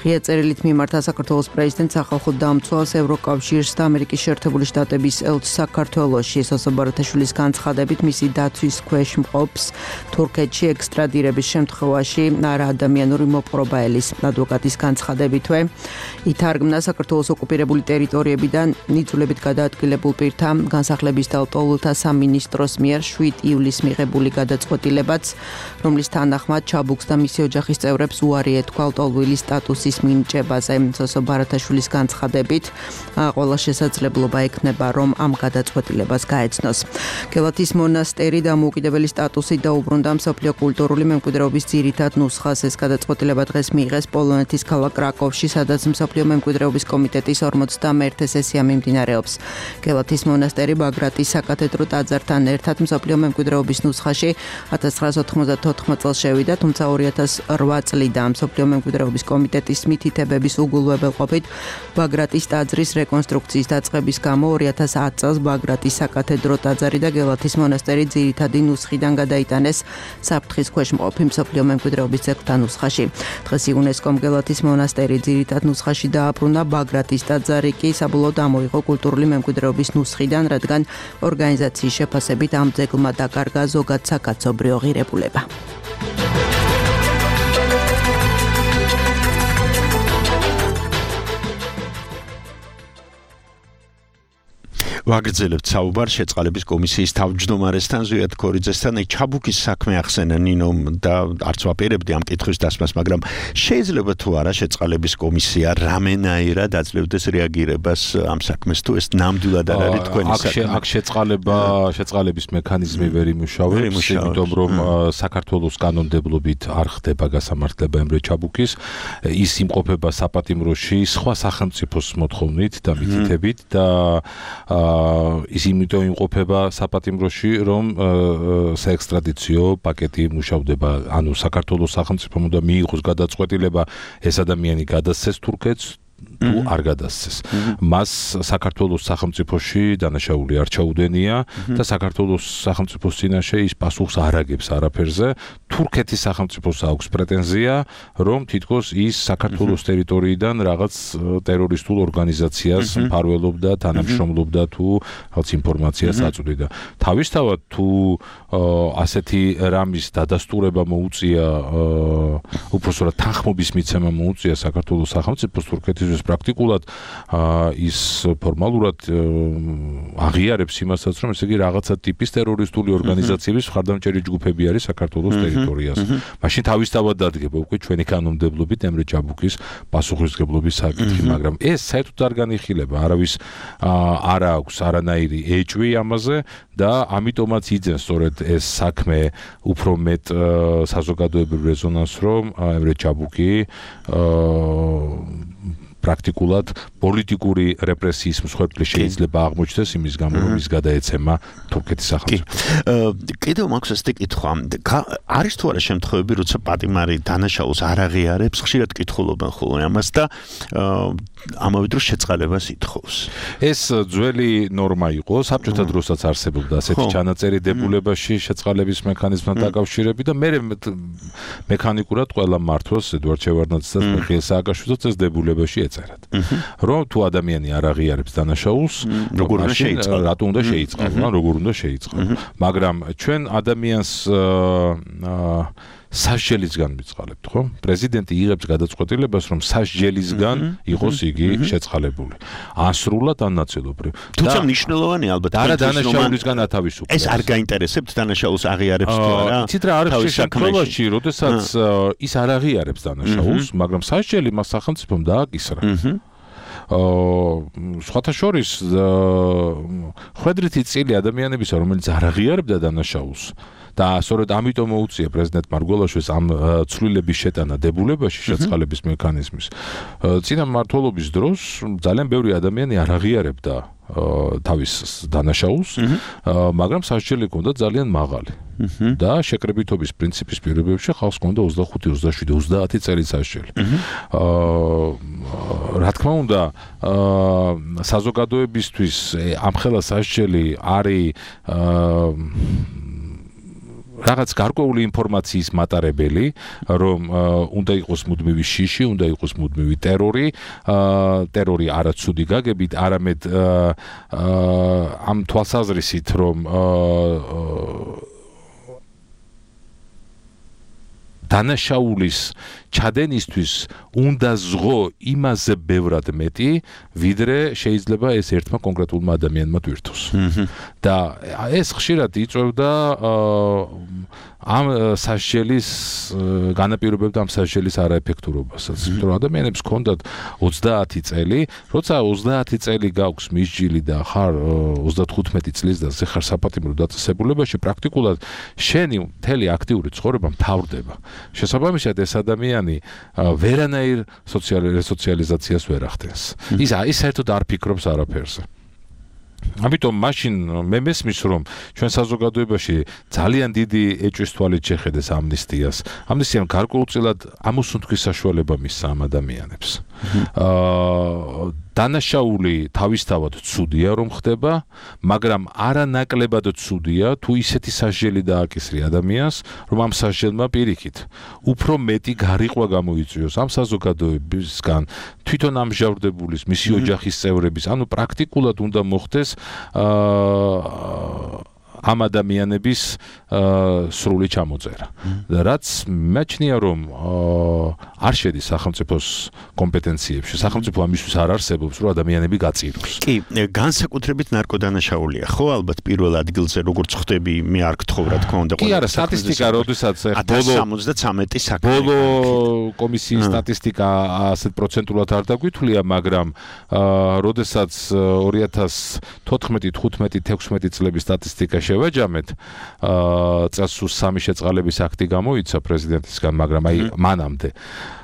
ღია წერილით მიმართა საქართველოს პრეზიდენტს, სახალხო დამცველს, ევროკავშირს და ამერიკის შეერთებული შტატების ელჩს საქართველოში. სოსო ბარათაშვილის განცხადებით, მისი დაცვის ქვეშ მყოფს თურქეთში ექსტრადირების შემთხვევაში არა ადამიანური მოპყრობა ელის. ადვოკატის განცხადებითვე ითარგმნა საქართველოს ოკუპირებული ტერიტორიებიდან ნიძულებით გადაადგილებულ პირთა განსახლების და ლტოლვილთა სამინისტროს მიერ 7 ივლისს მიღებული გადაწყვეტილებაც, რომლის თანახმად ჩაბუქს და მისი ოჯახის წევრებს უარი ეთქვა ლტოლვილის სტატუსის მინიჭებაზე. სოსო ბარათაშვილის განცხადებით, ყველა შესაძლებლობა ექნება, რომ ამ გადაწყვეტილებას გაეცნოს. გელათის მონასტერი დამოუკიდებელი სტატუსით დაუბრუნდა მსოფლიო კულტურული მემკვიდრეობის ძირითად ნუსხას. ეს გადაწყვეტილება დღეს მიიღეს პოლონეთის ქალაქ კრაკოვში, სადაც მსოფლიო მემკვიდრეობის კომიტეტის 41 სესია მიმდინარეობს. გელათის მონასტერი ბაგრატის საკათედრო ტაძართან ერთად მსოფლიო მემკვიდრეობის ნუსხაში 1994 წელს შევიდა, თუმცა 2008 წლიდან მსოფლიო მემკვიდრეობის კომიტეტის მითითებების უგულვებელყოფით ბაგრატის ტაძრის რეკონსტრუქციის დაწყების გამო 2010 წელს ბაგრატის საკათედრო ტაძარი და გელათის მონასტერი ძირითადი ნუსხიდან გადაიტანეს საფრთხის ქვეშ მყოფი მსოფლიო მემკვიდრეობის ძეგლთა ნუსხაში. დღეს იუნესკომ გელათის მონასტერი ძირითად ნუსხაში დააბრუნა, ბაგრატის ტაძარი კი საბოლოოდ ამოიღო კულტურული მემკვიდრეობის ნუსხიდან, რადგან ორგანიზაციის შეფასებით ამ ძეგლმა დაკარგა ზოგად საკაცობრიო ღირებულება. ვაგრძელებთ საუბარს შეწყალების კომისიის თავმჯდომარესთან ზვიად ქორიძესთან. ჩაბუქის საქმე ახსენა ნინომ და არც ვაპირებდი ამ კითხვის დასმას, მაგრამ შეიძლება თუ არა შეწყალების კომისია რამენაირად აძლევდეს რეაგირებას ამ საქმეს, თუ ეს ნამდვილად არ არის თქვენი საქმე. აქ შეწყალების მექანიზმი ვერ იმუშავებს, იმიტომ რომ საქართველოს კანონმდებლობით არ ხდება გასამართლება ემრე ჩაბუქის, ის იმყოფება საპატიმროში სხვა სახელმწიფოს მოთხოვნით და მითითებით და ის იმიტომ იმყოფება საპატიმროში, რომ საექსტრადიციო პაკეტი მუშავდება, ანუ საქართველოს სახელმწიფომ უნდა მიიღოს გადაწყვეტილება ეს ადამიანი გადასცეს თურქეთს თუ არ გადასცეს. მას საქართველოს სახელმწიფოში დანაშაული არ ჩაუდენია და საქართველოს სახელმწიფოს წინაშე ის პასუხს არ აგებს არაფერზე. თურქეთის სახელმწიფოს აქვს პრეტენზია, რომ თითქოს ის საქართველოს ტერიტორიიდან რაღაც ტერორისტულ ორგანიზაციას მფარველობდა, თანამშრომლობდა თუ რაღაც ინფორმაციას აწვდიდა. თავისთავად თუ ასეთი რამის დადასტურება მოუწია, უпростоრად თანხმობის მიცემა მოუწია საქართველოს სახელმწიფოს თურქეთის პრაქტიკულად ის ფორმალურად აღიარებს იმასაც, რომ ესე იგი რაღაცა ტიპის ტერორისტული ორგანიზაციების მხარდამჭერი ჯგუფები არის საქართველოს ტერიტორიაზე. მაშინ თავისთავად დადგება უკვე ჩვენი კანონმდებლობით ემრე ჩაბუქის პასუხისმგებლობის საკითხი, მაგრამ ეს საერთოდ არ განიხილება, არავის არ აქვს არანაირი ეჭვი ამაზე და ამიტომაც იძენს სწორედ ეს საქმე უფრო მეტ საზოგადოებრივ რეზონანსს, რომ ემრე ჩაბუქი პრაქტიკულად პოლიტიკური რეპრესიის მსხვერპლი შეიძლება აღმოჩნდეს იმის გამო რომ ის გადაეცემა თურქეთის სახელმწიფოს. კიდევ მაქვს ასეთი კითხვა. არის თუ არა შემთხვევები, როცა პატიმარი დანაშაულს არ აღიარებს, ხშირად კითხულობენ ხოლმე ამას და ამავე დროს შეწყალებას ითხოვს. ეს ძველი ნორმა იყო, საბჭოთა დროსაც არსებობდა ასეთი ჩანაწერი დებულებაში შეწყალების მექანიზმთან დაკავშირებით და მე მექანიკურად ყველა მართლს ედვარდ შევარდნაძეს და მიხეილ სააკაშვილს ეს დებულებაში ეწერათ. რომ თუ ადამიანი არ აღიარებს დანაშაულს, როგორ უნდა შეიწყალოს? რატო უნდა შეიწყალოს? როგორ უნდა შეიწყალოს? მაგრამ ჩვენ ადამიანს სასჯელისგან ვიწყალებთ, ხო? პრეზიდენტი იღებს გადაწყვეტილებას, რომ სასჯელისგან იყოს იგი შეწყალებული. ან სრულად, ან ნაწილობრივ. თუმცა მნიშვნელოვანი ალბათ არა დანაშაულისგან ათავისუფლება. ეს არ გაინტერესებთ დანაშაულს აღიარებს თუ არა? იცით რა არის შემთხვევაში, როდესაც ის არ აღიარებს დანაშაულს, მაგრამ სასჯელი მას სახელმწიფომ დააკისრა. სხვათა შორის ხვედრითი წილი ადამიანებისა, რომელიც არ აღიარებდა დანაშაულს და სწორედ ამიტომ მოუწია პრეზიდენტ მარგველაშვილს ამ ცვლილების შეტანა დებულებაში შეწყალების მექანიზმის. წინა მმართველობის დროს ძალიან ბევრი ადამიანი არ აღიარებდა თავის დანაშაულს, მაგრამ სასჯელი ჰქონდა ძალიან მაღალი. და შეკრებითობის პრინციპის პირობებში ხალხს ჰქონდა 25, 27, 30 წელი სასჯელი. რა თქმა უნდა, საზოგადოებისთვის ამხელა სასჯელი არის რაღაც გარკვეული ინფორმაციის მატარებელი, რომ უნდა იყოს მუდმივი შიში, უნდა იყოს მუდმივი ტერორი, ტერორი არაცუდი გაგებით, არამედ ამ თვალსაზრისით, რომ დანაშაულის ჩადენისთვის უნდა ზღო იმაზე ბევრად მეტი, ვიდრე შეიძლება ეს ერთმა კონკრეტულმა ადამიანმა თვირთოს. და ეს ხშირად იწვევდა ამ სასჯელის განაპირობებდა ამ სასჯელის არაეფექტურობასაც. იმიტომ რომ ადამიანებს ჰქონდათ 30 წელი, როცა 30 წელი გაქვს მისჯილი და ხარ 35 წლის და ხარ საპატიმრო დაწესებულებაში, პრაქტიკულად შენი მთელი აქტიური ცხოვრება მთავრდება. შესაბამისად ეს ადამიანი ვერანაირ სოციალიზაციას ვერ ახდენს. ის საერთოდ არ ფიქრობს არაფერზე. ამიტომ მაშინ მე მესმის რომ ჩვენ საზოგადოებაში ძალიან დიდი ეჭვის თვალით შეხედეს ამნისტიას. ამნისტიამ გარკვეულწილად ამოსუნთქვის საშუალება მისცა ამ ადამიანებს. დანაშაული თავისთავად ცუდია რომ ხდება, მაგრამ არანაკლებად ცუდია თუ ისეთი სასჯელი დააკისრი ადამიანს, რომ ამ სასჯელმა პირიქით უფრო მეტი გარიყვა გამოიწვიოს ამ საზოგადოებისგან, თვითონ ამჟავრდებულის, მისი ოჯახის წევრების, ანუ პრაქტიკულად უნდა მოხდეს ამ ადამიანების სრული ჩამოწერა. რაც მეჩნია რომ არ შედის სახელმწიფოს კომპეტენციებში. სახელმწიფო ამისთვის არ არსებობს, რომ ადამიანები გაწიროს. კი, განსაკუთრებით ნარკოდანაშაულია, ხო, ალბათ პირველ ადგილზე როგორც ხდები, მე არ გთხოვ რა თქმა უნდა. კი, არა, სტატისტიკა, როდესაც ბოლო ბოლო კომისიის სტატისტიკა ასეთ პროცენტულად არ დაგვითვლია, მაგრამ როდესაც 2014, 15, 16 წლების სტატისტიკა შევაჯამეთ, წელსუს 3 შეწყალების აქტი გამოიცა პრეზიდენტისგან, მაგრამ აი მანამდე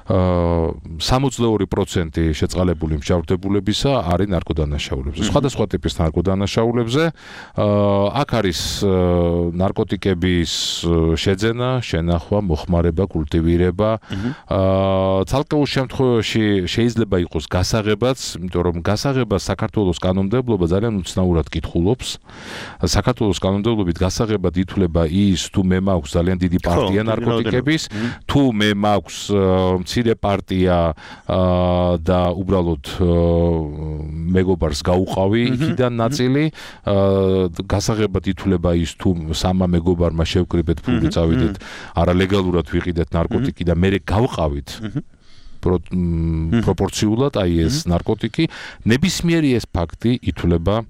62% შეწყალებული მსჯავრდებულებისა არის ნარკოდანაშაულებზე. სხვადასხვა ტიპის ნარკოდანაშაულებზე. აქ არის ნარკოტიკების შეძენა, შენახვა, მოხმარება, კულტივირება. ცალკეულ შემთხვევაში შეიძლება იყოს გასაღებაც, იმიტომ რომ გასაღება საქართველოს კანონმდებლობა ძალიან უცნაურად კითხულობს. საქართველოს კანონმდებლობით გასაღებად ითვლება ის, თუ მე მაქვს ძალიან დიდი პარტია ნარკოტიკების, თუ მე მაქვს მცირე პარტია და უბრალოდ მეგობარს გაუყავი იქიდან ნაწილი, გასაღებად ითვლება ის, თუ სამა მეგობარმა შევკრიბეთ ფული წავიდეთ, არალეგალურად ვიყიდეთ ნარკოტიკი და მე გავყავით პროპორციულად აი ეს ნარკოტიკი, ნებისმიერი ეს ფაქტი ითვლება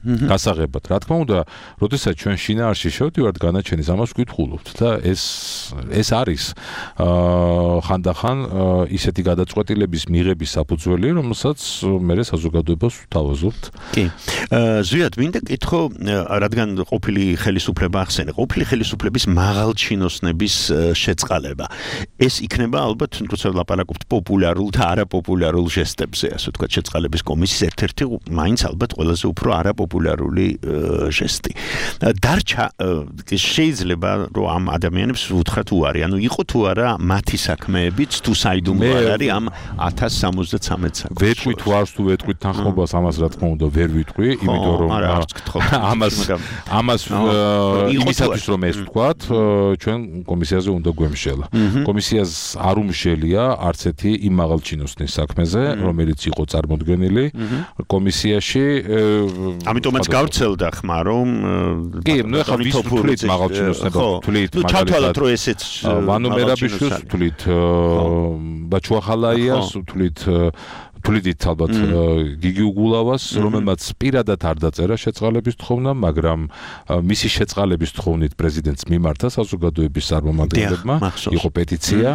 გასაღებად. Რა თქმა უნდა, როდესაც ჩვენ შინაარსში შევდივართ განაჩენის ამას ვკითხულობთ და ეს არის ხანდახან ისეთი გადაწყვეტილების მიღების საფუძველი, რომელსაც მე საზოგადოებას ვთავაზობთ. კი. ზვიად, მინდა კითხო, რადგან ყოფილი ხელისუფლება ახსენე, ყოფილი ხელისუფლების მაღალჩინოსნების შეწყალება. ეს იქნება ალბათ, როცა ვლაპარაკობთ პოპულარულ და არაპოპულარულ ჟესტებზე, ასე ვთქვათ, შეწყალების კომისიის ერთ-ერთი მაინც ალბათ ყველაზე უფრო არაპოპულარული ჟესტი. დარჩა შეიძლება რომ ამ ადამიანებს უთხრათ უარი, ანუ იყო თუ არა მათი საქმეებიც თუ საიდუმლო არ არის ამ 1073 საქმეს. ვეტყვით თუ არც თუ ვეტყვით თანხმობას, ამას რა თქმა უნდა ვერ ვიტყვი, იმიტომ რომ ამას იმისათვის რომ ეს ვთქვათ, ჩვენ კომისიაზე უნდა გვემშელა. კომისიას არ უმშელია არც ერთი იმ მაღალჩინოსნის საქმეზე, რომელიც იყო წარმოდგენილი კომისიაში. ამიტომაც გავრცელდა ხმა, რომ კი, ნუ ეხლა ვის თვლით მაღალჩინოსნება, თვლით ჩათვალოთ რომ ესეც ვანომერაბიშვილს თვლით, ბაჩუახალაიას თვლით ალბათ გიგი უგულავას, რომელმაც პირადად არ დაწერა შეწყალების თხოვნა, მაგრამ მისი შეწყალების თხოვნით პრეზიდენტს მიმართა საზოგადოების წარმომადგენლებმა, იყო პეტიცია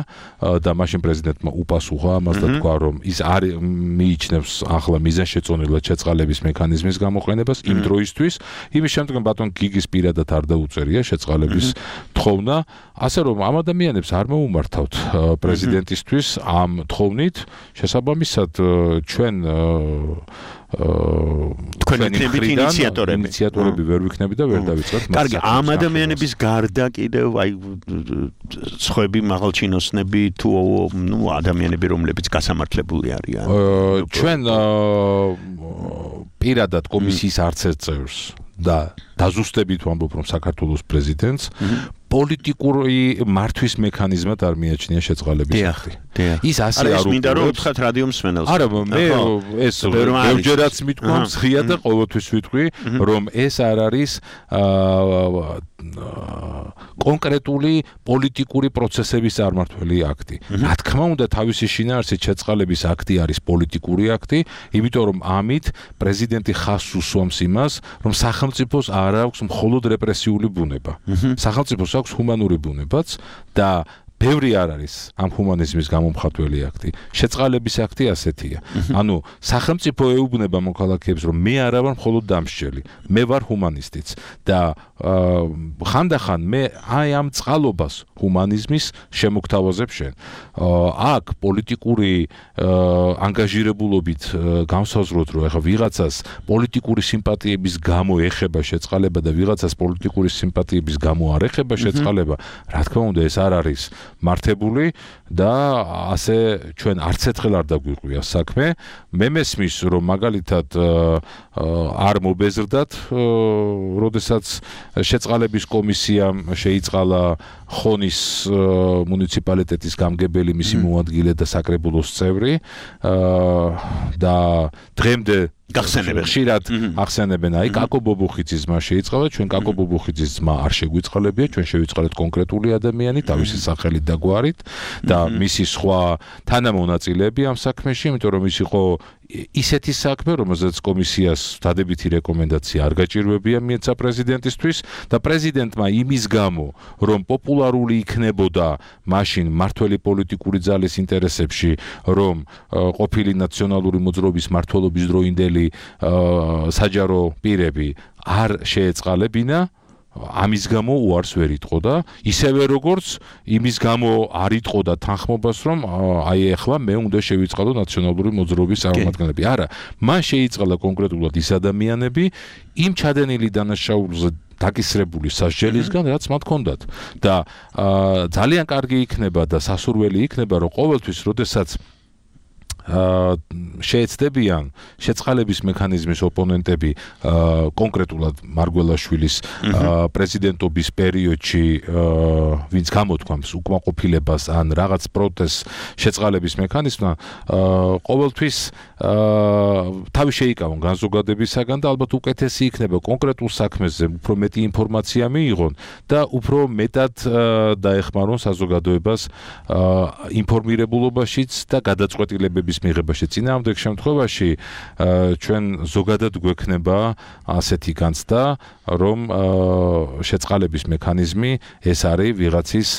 და მაშინ პრეზიდენტმა უპასუხა ამას და თქვა, რომ ის არ მიიჩნევს ახლა მიზანშეწონილად შეწყალების მექანიზმის გამოყენებას იმ დროისთვის, იმის შემდგომ ბატონ გიგის პირადად არ დაუწერია შეწყალების თხოვნა, ასე რომ ამ ადამიანებს არ მოუმართავთ პრეზიდენტისთვის ამ თხოვნით, შესაბამისად ჩვენ ინიციატორები ვერ ვიქნები და ვერ დავიწყებთ მას. კარგი, ამ ადამიანების გარდა კიდევ აი სხვები მაღალჩინოსნები თუ ადამიანები რომლებიც გასამართლებული არიან. ჩვენ პირადად კომისიის არც ერთ წევრს და დაზუსტებით ვამბობ რომ საქართველოს პრეზიდენტს პოლიტიკური მართვის მექანიზმად არ მიაჩნია შეწყალების აქტი. ის ასე არ მინდა რომ უთხრათ რადიო მსმენელს. არა, მე ეს ბევრჯერაც მithქვა მსხია და ყოველთვის ვიტყვი, რომ ეს არ არის კონკრეტული პოლიტიკური პროცესების წარმართველი აქტი. რა თქმა უნდა, თავისი შინაარსით შეწყალების აქტი არის პოლიტიკური აქტი, იმიტომ რომ ამით პრეზიდენტი ხაზს უსვამს იმას, რომ სახელმწიფოს არ აქვს მხოლოდ რეპრესიული ბუნება. სახელმწიფოს აქვს ჰუმანური ბუნებაც და ბევრი არ არის ამ ჰუმანიზმის გამომხატველი აქტი. შეწყალების აქტი ასეთია. ანუ სახელმწიფო ეუბნება მოქალაქეებს, რომ მე არა ვარ მხოლოდ დამსჯელი, მე ვარ ჰუმანისტიც და ხანდახან მე აი ამ წყალობას ჰუმანიზმის შემოგთავაზებ შენ. აქ პოლიტიკური ანგაჟირებულობით განსაზღვროთ, რომ ეხლა ვიღაცას პოლიტიკური სიმპათიების გამო ეხება შეწყალება და ვიღაცას პოლიტიკური სიმპათიების გამო არ ეხება შეწყალება, რა თქმა უნდა ეს არ არის მართებული და ასე ჩვენ არც ერთხელ არ დაგვიყვია საქმე. მე მესმის რომ მაგალითად არ მობეზრდათ, როდესაც შეწყალების კომისიამ შეიწყალა ხონის მუნიციპალიტეტის გამგებელი, მისი მოადგილე და საკრებულოს წევრი და დღემდე ხშირად ახსენებენ აი კაკო ბობუხიძის ძმა შეიწყალა, ჩვენ კაკო ბობუხიძის ძმა არ შეგვიწყალებია, ჩვენ შევიწყალეთ კონკრეტული ადამიანი თავისი სახელით და გვარით და მისი სხვა თანამონაწილეები ამ საქმეში, იმიტომ რომ ის იყო ისეთი საქმე, რომელზეც კომისიას დადებითი რეკომენდაცია არ გაჭირვებია მიეცა პრეზიდენტისთვის და პრეზიდენტმა იმის გამო, რომ პოპულარული იქნებოდა მაშინ მართველი პოლიტიკური ძალის ინტერესებში, რომ ყოფილი ნაციონალური მოძრაობის მმართველობის დროინდელი საჯარო პირები არ შეეწყალებინა, ამის გამო უარს ვერ იტყო და ისევე როგორც იმის გამო არ იტყო და თანხმობას, რომ აი ახლა მე უნდა შევიწყალო ნაციონალური მოძრაობის წარმომადგენლები. არა, მან შეიწყალა კონკრეტულად ის ადამიანები იმ ჩადენილი დანაშაულზე დაკისრებული სასჯელისგან, რაც მათ ჰქონდათ და ძალიან კარგი იქნება და სასურველი იქნება, რომ ყოველთვის, როდესაც შეეცდებიან შეწყალების მექანიზმის ოპონენტები კონკრეტულად მარგველაშვილის პრეზიდენტობის პერიოდში ვინც გამოთქვამს უკმაყოფილებას ან რაღაც პროტესტს შეწყალების მექანიზმმა, ყოველთვის თავი შეიკავონ განზოგადებისაგან და ალბათ უკეთესი იქნება კონკრეტულ საქმეზე უფრო მეტი ინფორმაცია მიიღონ და უფრო მეტად დაეხმარონ საზოგადოებას ინფორმირებულობაშიც და გადაწყვეტილებების კვირების მიღებაში წინააღმდეგ შემთხვევაში ჩვენ ზოგადად გვექნება ასეთი განცდა, რომ შეწყალების მექანიზმი ეს არის ვიღაცის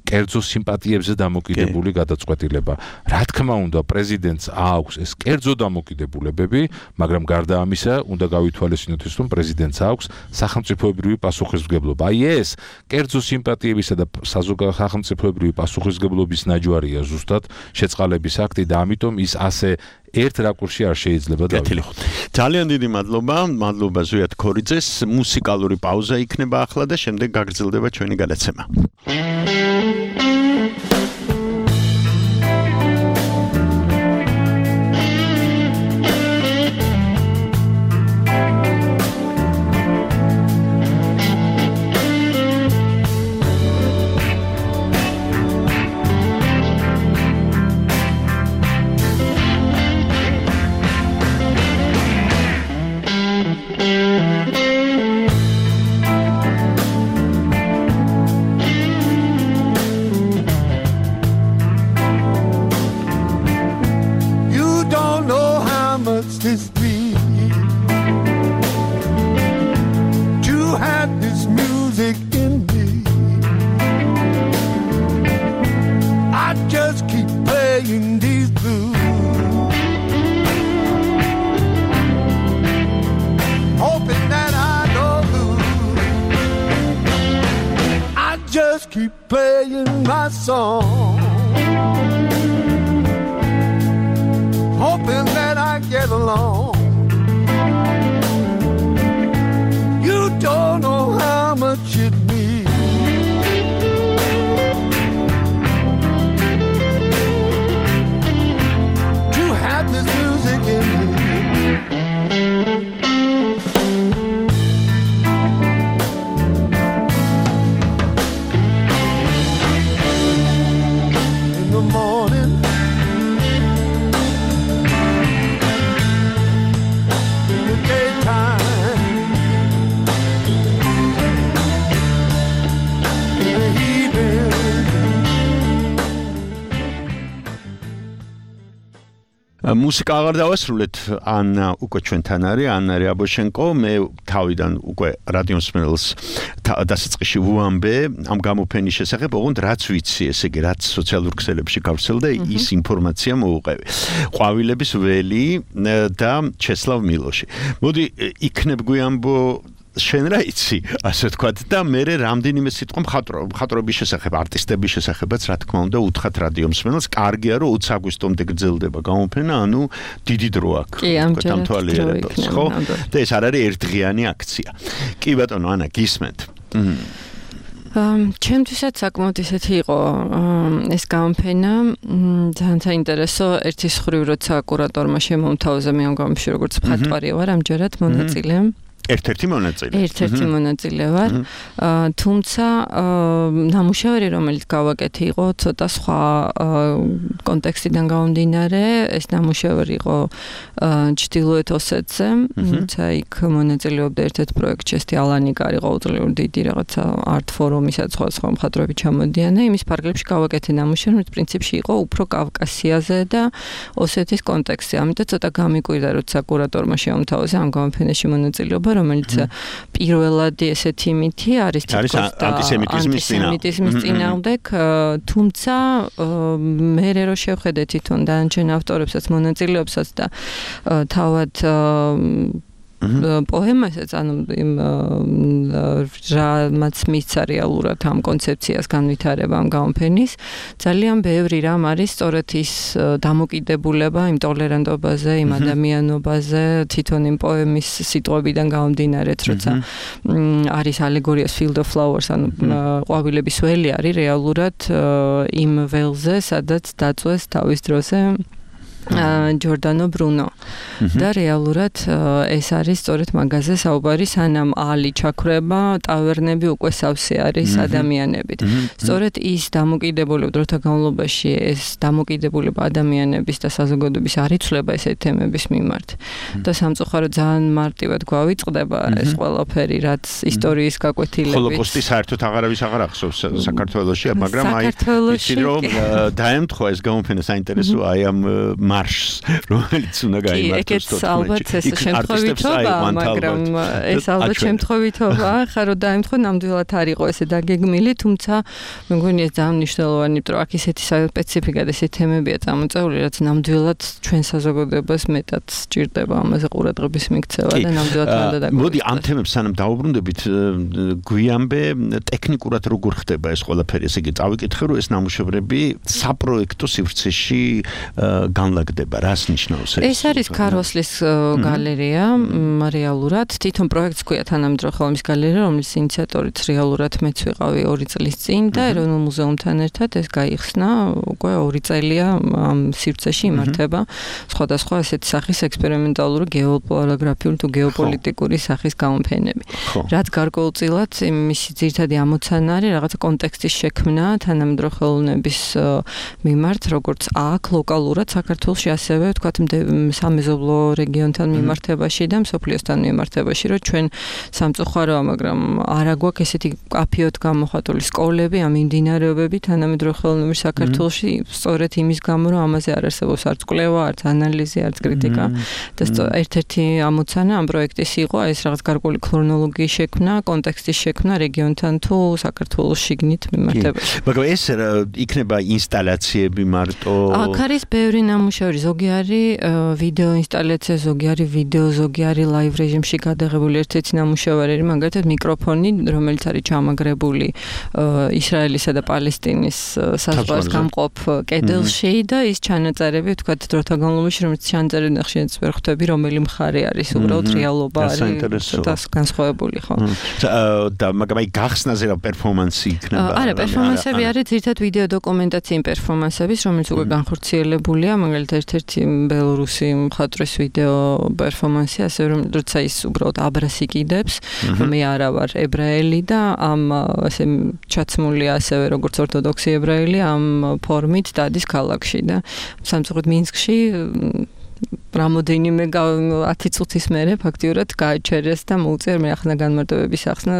კერძო სიმპათიებზე დამოკიდებული გადაწყვეტილება. Რა თქმა უნდა, პრეზიდენტს აქვს ეს კერძო დამოკიდებულებები, მაგრამ გარდა ამისა, უნდა გავითვალისწინოთ ის, რომ პრეზიდენტს აქვს სახელმწიფოებრივი პასუხისმგებლობა. Აი ეს კერძო სიმპათიებისა და სახელმწიფოებრივი პასუხისმგებლობის ნაჯვარია ზუსტად შეწყალების აქტი და ამიტომ ის ასე ერთ რაკურსში არ შეიძლება დავიღოთ. ძალიან დიდი მადლობა ზვიად ქორიძეს. მუსიკალური პაუზა იქნება ახლა და შემდეგ გაგრძელდება ჩვენი გადაცემა. Keep playing my song, hoping that I get along. You don't know how much it means to have this music in me. მუსიკა აღარ დავასრულეთ, ანა უკვე ჩვენთან არის, ანა რიაბოშენკო, მე თავიდან უკვე რადიო მსმენელს დასაწყისში ვუამბე ამ გამოფენის შესახებ, ოღონდ რაც ვიცი, ესე იგი, რაც სოციალურ ქსელებში გავრცელდა, ის ინფორმაცია მოუყევი. ყვავილების ველი და ჩესლავ მილოში. მოდი იქნებ გვიამბო შენ რა იცი, ასე ვთქვათ, და მე რამდენიმე სიტყვა მხატვრობის შესახებ, არტისტების შესახებაც, რა თქმა უნდა, უთხრათ რადიო მსმენელს, კარგია, რომ 20 აგვისტომდე გრძელდება გამოფენა, ანუ დიდი დრო აქვს. კი, ამჯერად ხო? და ეს არ არის ერთდღიანი აქცია. კი ბატონო, ანა, გისმენთ. ჩემთვისაც საკმაოდ ისეთი იყო ეს გამოფენა, ძალიან საინტერესო, ერთის ხრივ როცა კურატორმა შემომთავაზა მე ამ გამოფენაში როგორც მხატვარი ვარ, ამჯერად მონაწილე. ერთ-ერთი მონაწილე ვარ, თუმცა ნამუშევარი, რომელიც გავაკეთე, იყო ცოტა სხვა კონტექსტიდან გამომდინარე. ეს ნამუშევარი იყო ჩრდილოეთ ოსეთზე, თუმცა იქ მონაწილეობდა ერთ-ერთ პროექტში, ესეთი ალანიკა არის ყოველწლიურად დიდი რაღაცა არტ ფორუმისა სხვა მხატვრები ჩამოდიან და იმის ფარგლებში გავაკეთე ნამუშევარი, რომელიც პრინციპში იყო უფრო კავკასიაზე და ოსეთის კონტექსტზე. ამიტომ ცოტა გამიკვირდა, როცა კურატორმა შემომთავაზა ამ გამოფენაში მონაწილეობა, რომელიც პირველად ესეთი მითი არის ანტისემიტიზმის წინააღმდეგ, თუმცა მე რო შევხედე თვითონ დანარჩენ ავტორებსაც, მონაწილეებსაც და თავად პოემასაც, ანუ იმ რამაც მისცა რეალურად ამ კონცეფციას განვითარება ამ გამოფენის, ძალიან ბევრი რამ არის სწორედ ის დამოკიდებულება იმ ტოლერანტობაზე, იმ ადამიანობაზე, თვითონ იმ პოემის სიტყვებიდან გამომდინარეთ, როცა არის ალეგორიას Field of Flowers, ანუ ყვავილების ველი არის რეალურად იმ ველზე, სადაც დაწვეს თავის დროზე ჯორდანო ბრუნო. და რეალურად ეს არის სწორედ მაგაზე საუბარი, სანამ ალი ჩაქრება, ტავერნები უკვე სავსე არის ადამიანებით. სწორედ ის დამოკიდებულება დროთა განმავლობაში ეს დამოკიდებულება ადამიანების და საზოგადოების არ იცვლება ესეთი თემების მიმართ. და სამწუხაროდ ძალიან მარტივად გვავიწყდება ეს ყველაფერი, რაც ისტორიის გაკვეთილებით. ჰოლოკოსტი საერთოდ აღარავის აღარ ახსოვს საქართველოში, მაგრამ აი იცი რომ დაემთხვა ეს გამოფენა საინტერესო აი ამ მარშს, რომელიც უნდა გაიმართოს თოთმეტში. ალბათ ეს შემთხვევითობა, მაგრამ ეს ალბათ შემთხვევითობა, ხა რომ დაემთხვა ნამდვილად არ იყო ესე დაგეგმილი, თუმცა მე მგონი ეს ძალიან მნიშვნელოვანი, იმიტომ რომ აქ ისეთი სპეციფიკა და ესეთი თემებია წამოწეული, რაც ნამდვილად ჩვენ საზოგადოებას მეტად სჭირდება ამაზე ყურადღების მიქცევა და ნამდვილად უნდა დაგვიწყოს. მოდი ამ თემებს სანამ დავუბრუნდებით, გვიამბე ტექნიკურად როგორ ხდება ეს ყველაფერი, ესე იგი წავიკითხე რომ ეს ნამუშევრები საპროექტო სივრცეში განლაგდება, რას ნიშნავს ეს? ეს არის ქაროსლის გალერეა, რეალურად თვითონ პროექტს ქვია თანამედროვე ხელოვნების გალერეა, რომლის ინიციატორიც რეალურად მეც ვიყავი 2 წლის წინ და ეროვნულ მუზეუმთან ერთად ეს გაიხსნა, უკვე 2 წელია ამ სივრცეში იმართება სხვადასხვა ესეთი სახის ექსპერიმენტალური გეოპარაგრაფიული თუ გეოპოლიტიკური სახის გამოფენები. რაც გარკვეულწილად მისი ძირითადი ამოცანა არის რაღაცა კონტექსტის შექმნა თანამედროვე ხელოვნების მიმართ, როგორც აქ ლოკალურად საქართველოში, ასევე ვთქვათ სამეზობლო რეგიონთან მიმართებაში და მსოფლიოსთან მიმართებაში, რომ ჩვენ სამწუხაროა, მაგრამ არა გვაქვს ესეთი კაფეოთ გამოხატული სკოლები, ამ მიმდინარეობები თანამედროვე ხელოვნების საქართველოში, სწორედ იმის გამო, რომ ამაზე არ არსებობს არც კვლევა, არც ანალიზი, არც კრიტიკა და ერთ-ერთი ამოცანა ამ პროექტის იყო ეს რაღაც გარკვეული ქრონოლოგიის შექმნა, კონტექსტის შექმნა რეგიონთან თუ საქართველოს შიგნით მიმართებაში. მაგრამ ეს იქნება ინსტალაციები მარტო? აქ არის ბევრი ნამუშევარი, ზოგი არის ვიდეო ინსტალაცია, ზოგი არის ვიდეო, ზოგი არის ლაივ რეჟიმში გადაღებული. ერთ-ერთი ნამუშევარი არის მაგალითად მიკროფონი, რომელიც არის ჩამაგრებული ისრაელისა და პალესტინის საზღვარს გამყოფ კედელში და ის ჩანაწერები, ვთქვათ, დროთა განმავლობაში, რომელიც ჩანაწერები ნახშირიც ვერ ხვდები, რომელი მხარე არის, უბრალოდ რეალობა არის და განსხვავებული, ხო? და მაგრამ აი გახსნაზე რა პერფორმანსი იქნება? არა, პერფორმანსები არის ძირითადად ვიდეო დოკუმენტაციის პერფორმანსების, რომელიც უკვე განხორციელებულია, მაგალითად ერთ-ერთი ბელორუსი მხატვრის ვიდეო პერფორმანსი, ასე რომ როცა ის უბრალოდ აბრას იკიდებს, მე არა ვარ ებრაელი და ამ ასე ჩაცმული ასევე როგორც ორთოდოქსი ებრაელი ამ ფორმით დადის ქალაქში და სამწუხაროდ მინსკში რამოდენიმე 10 წუთის მერე ფაქტიურად გააჩერეს და მოუწია მე ახლა განმარტებების ახსნა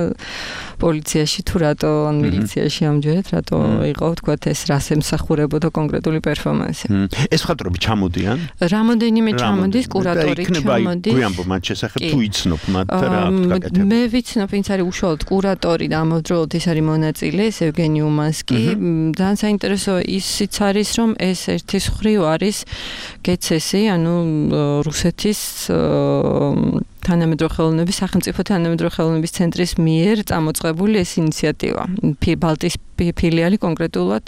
პოლიციაში თუ რატო ან მილიციაში ამჯერად რატო იყო თქვათ ეს რას ემსახურებოდა კონკრეტული პერფორმანსი. ეს მხატვრები ჩამოდიან? რამოდენიმე ჩამოდის, კურატორი ჩამოდის. გვიანბო მათ შესახებ თუ იცნობ მათ რა გაკეთება? მე ვიცნობ, ვინც არის უშუალოდ კურატორი და ამავდროულად ის არის მონაწილე, ეს ევგენი უმანსკი. ძალიან საინტერესო ისიც არის, რომ ეს ერთის მხრივ არის გეცესი, ანუ რუსეთის თანამედროვე ხელოვნების სახელმწიფო თანამედროვე ხელოვნების ცენტრის მიერ წამოწყებული ეს ინიციატივა. ბალტიის ფილიალი, კონკრეტულად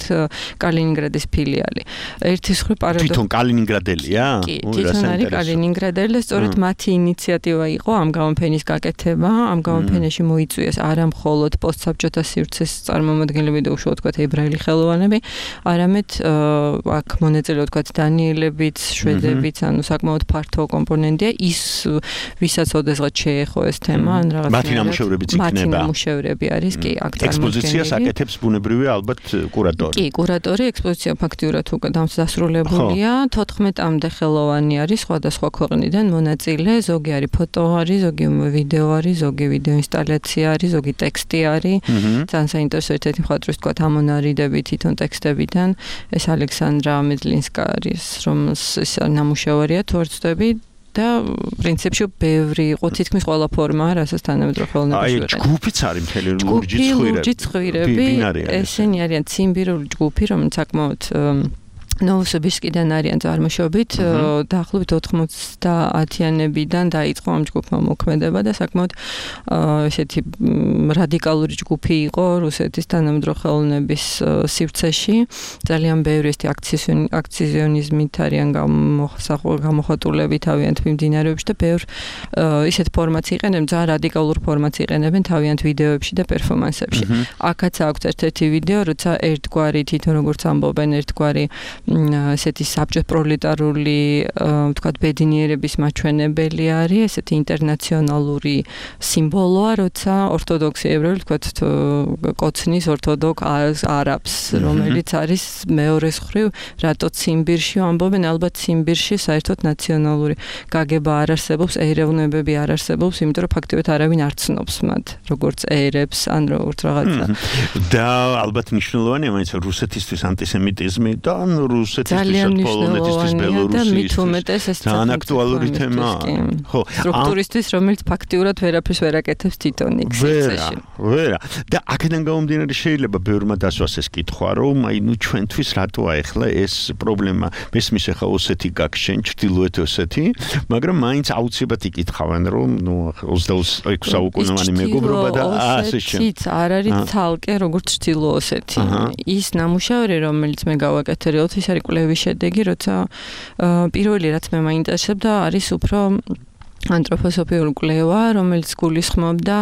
კალინინგრადის ფილიალი. ერთის მხრივ პარადოქსი. თვითონ კალინინგრადელია? თვითონ არის კალინინგრადელი და სწორედ მათი ინიციატივა იყო ამ გამოფენის გაკეთება. ამ გამოფენაში მოიწვიეს არა მხოლოდ პოსტსაბჭოთა სივრცის წარმომადგენლები და უშუალოდ თქვათ ებრაელი ხელოვანები, არამედ აქ მონაწილეობდნენ თქვათ დანიელებიც, შვედებიც, ანუ საკმაოდ ფართო კომპონენტია ის, ვისაც ოდესღაც შეეხო ეს თემა, ან რაღაც მათი ნამუშევრებიც იქნება. მათი ნამუშევრები არის, კი, აქ წარმოდგენილი. ექსპოზიციას აკეთებს ბუნებრივია ალბათ კურატორი. კი, კურატორი, ექსპოზიცია ფაქტიურად უკვე დასრულებულია. 14-მდე ხელოვანი არის სხვადასხვა ქვეყნიდან მონაწილე, ზოგი არის ფოტო არის, ზოგი ვიდეო არის, ზოგი ვიდეო ინსტალაცია არის, ზოგი ტექსტი არის. ძალიან საინტერესო ერთ-ერთი მხატვრის თქვა ამონარიდები თვითონ ტექსტებიდან. ეს ალექსანდრა მედლინსკა არის, რომელს ეს ნამუშევარია თუ არ ვცდები. და პრინციპში ბევრი იყო თითქმის ყველა ფორმა, რასაც თანამედროვე ხელოვნებაში ვიყენებთ. აი, ჯგუფიც არის მთელი ლურჯი ცხვირები. ესენი არიან ციმბირული ჯგუფი, რომელიც საკმაოდ ნოვოსიბირსკიდან არიან წარმოშობით, დაახლოებით 90-იანებიდან დაიწყო ამ ჯგუფმა მოქმედება და საკმაოდ ესეთი რადიკალური ჯგუფი იყო რუსეთის თანამედროვე ხელოვნების სივრცეში. ძალიან ბევრი ესეთი აქციონიზმით არიან გამოხატულები თავიანთ მიმდინარეობებში და ბევრ ისეთ ფორმატს იყენებენ, ძალიან რადიკალურ ფორმატს იყენებენ თავიანთ ვიდეოებში და პერფორმანსებში. აქაც აქვს ერთ-ერთი ვიდეო, როცა ერთგვარი თვითონ როგორც ამბობენ, ერთგვარი ესეთი საბჭოთა პროლეტარული ვთქვათ ბედნიერების მაჩვენებელი არის, ესეთი ინტერნაციონალური სიმბოლოა, როცა ორთოდოქსი ებრაელი ვთქვათ კოცნის ორთოდოქს არაბს, რომელიც არის მეორე მხრივ, რატო ციმბირში ამბობენ, ალბათ ციმბირში საერთოდ ნაციონალური გაგება არ არსებობს, ეროვნებები არ არსებობს, იმიტომ რომ ფაქტობრივად არავინ არ ცნობს მათ, როგორც ერებს, ან როგორც რაღაცა. და ალბათ მნიშვნელოვანია მაინც რუსეთისთვის ანტისემიტიზმი და რუსეთისთვის პოლონეთისთვის ბელორუსისთვის ძალიან აქტუალური თემაა. ხო, სტრუქტურისთვის, რომელიც ფაქტიურად ვერაფერს ვერ აკეთებს თვითონ იქცეში. ვერა. და აქედან გამომდინარე შეიძლება ბევრმა დასვას ეს კითხვა, რომ აი ნუ ჩვენთვის რატოა ახლა ეს პრობლემა მესმის ახლა ოსეთი გაგშენ ჩრდილოეთ ოსეთი, მაგრამ მაინც აუცილებლად იკითხავენ, რომ ნუ 26 საუკუნოვანი მეგობრობა და ასე შემდეგ. არ არის ცალკე როგორც ჩრდილო ოსეთი. ის ნამუშევარი, რომელიც მე გავაკეთე, ის არის კვლევის შედეგი, როცა პირველი რაც მე მაინტერესებდა არის უფრო ანთროპოსოფიური კვლევა, რომელიც გულისხმობდა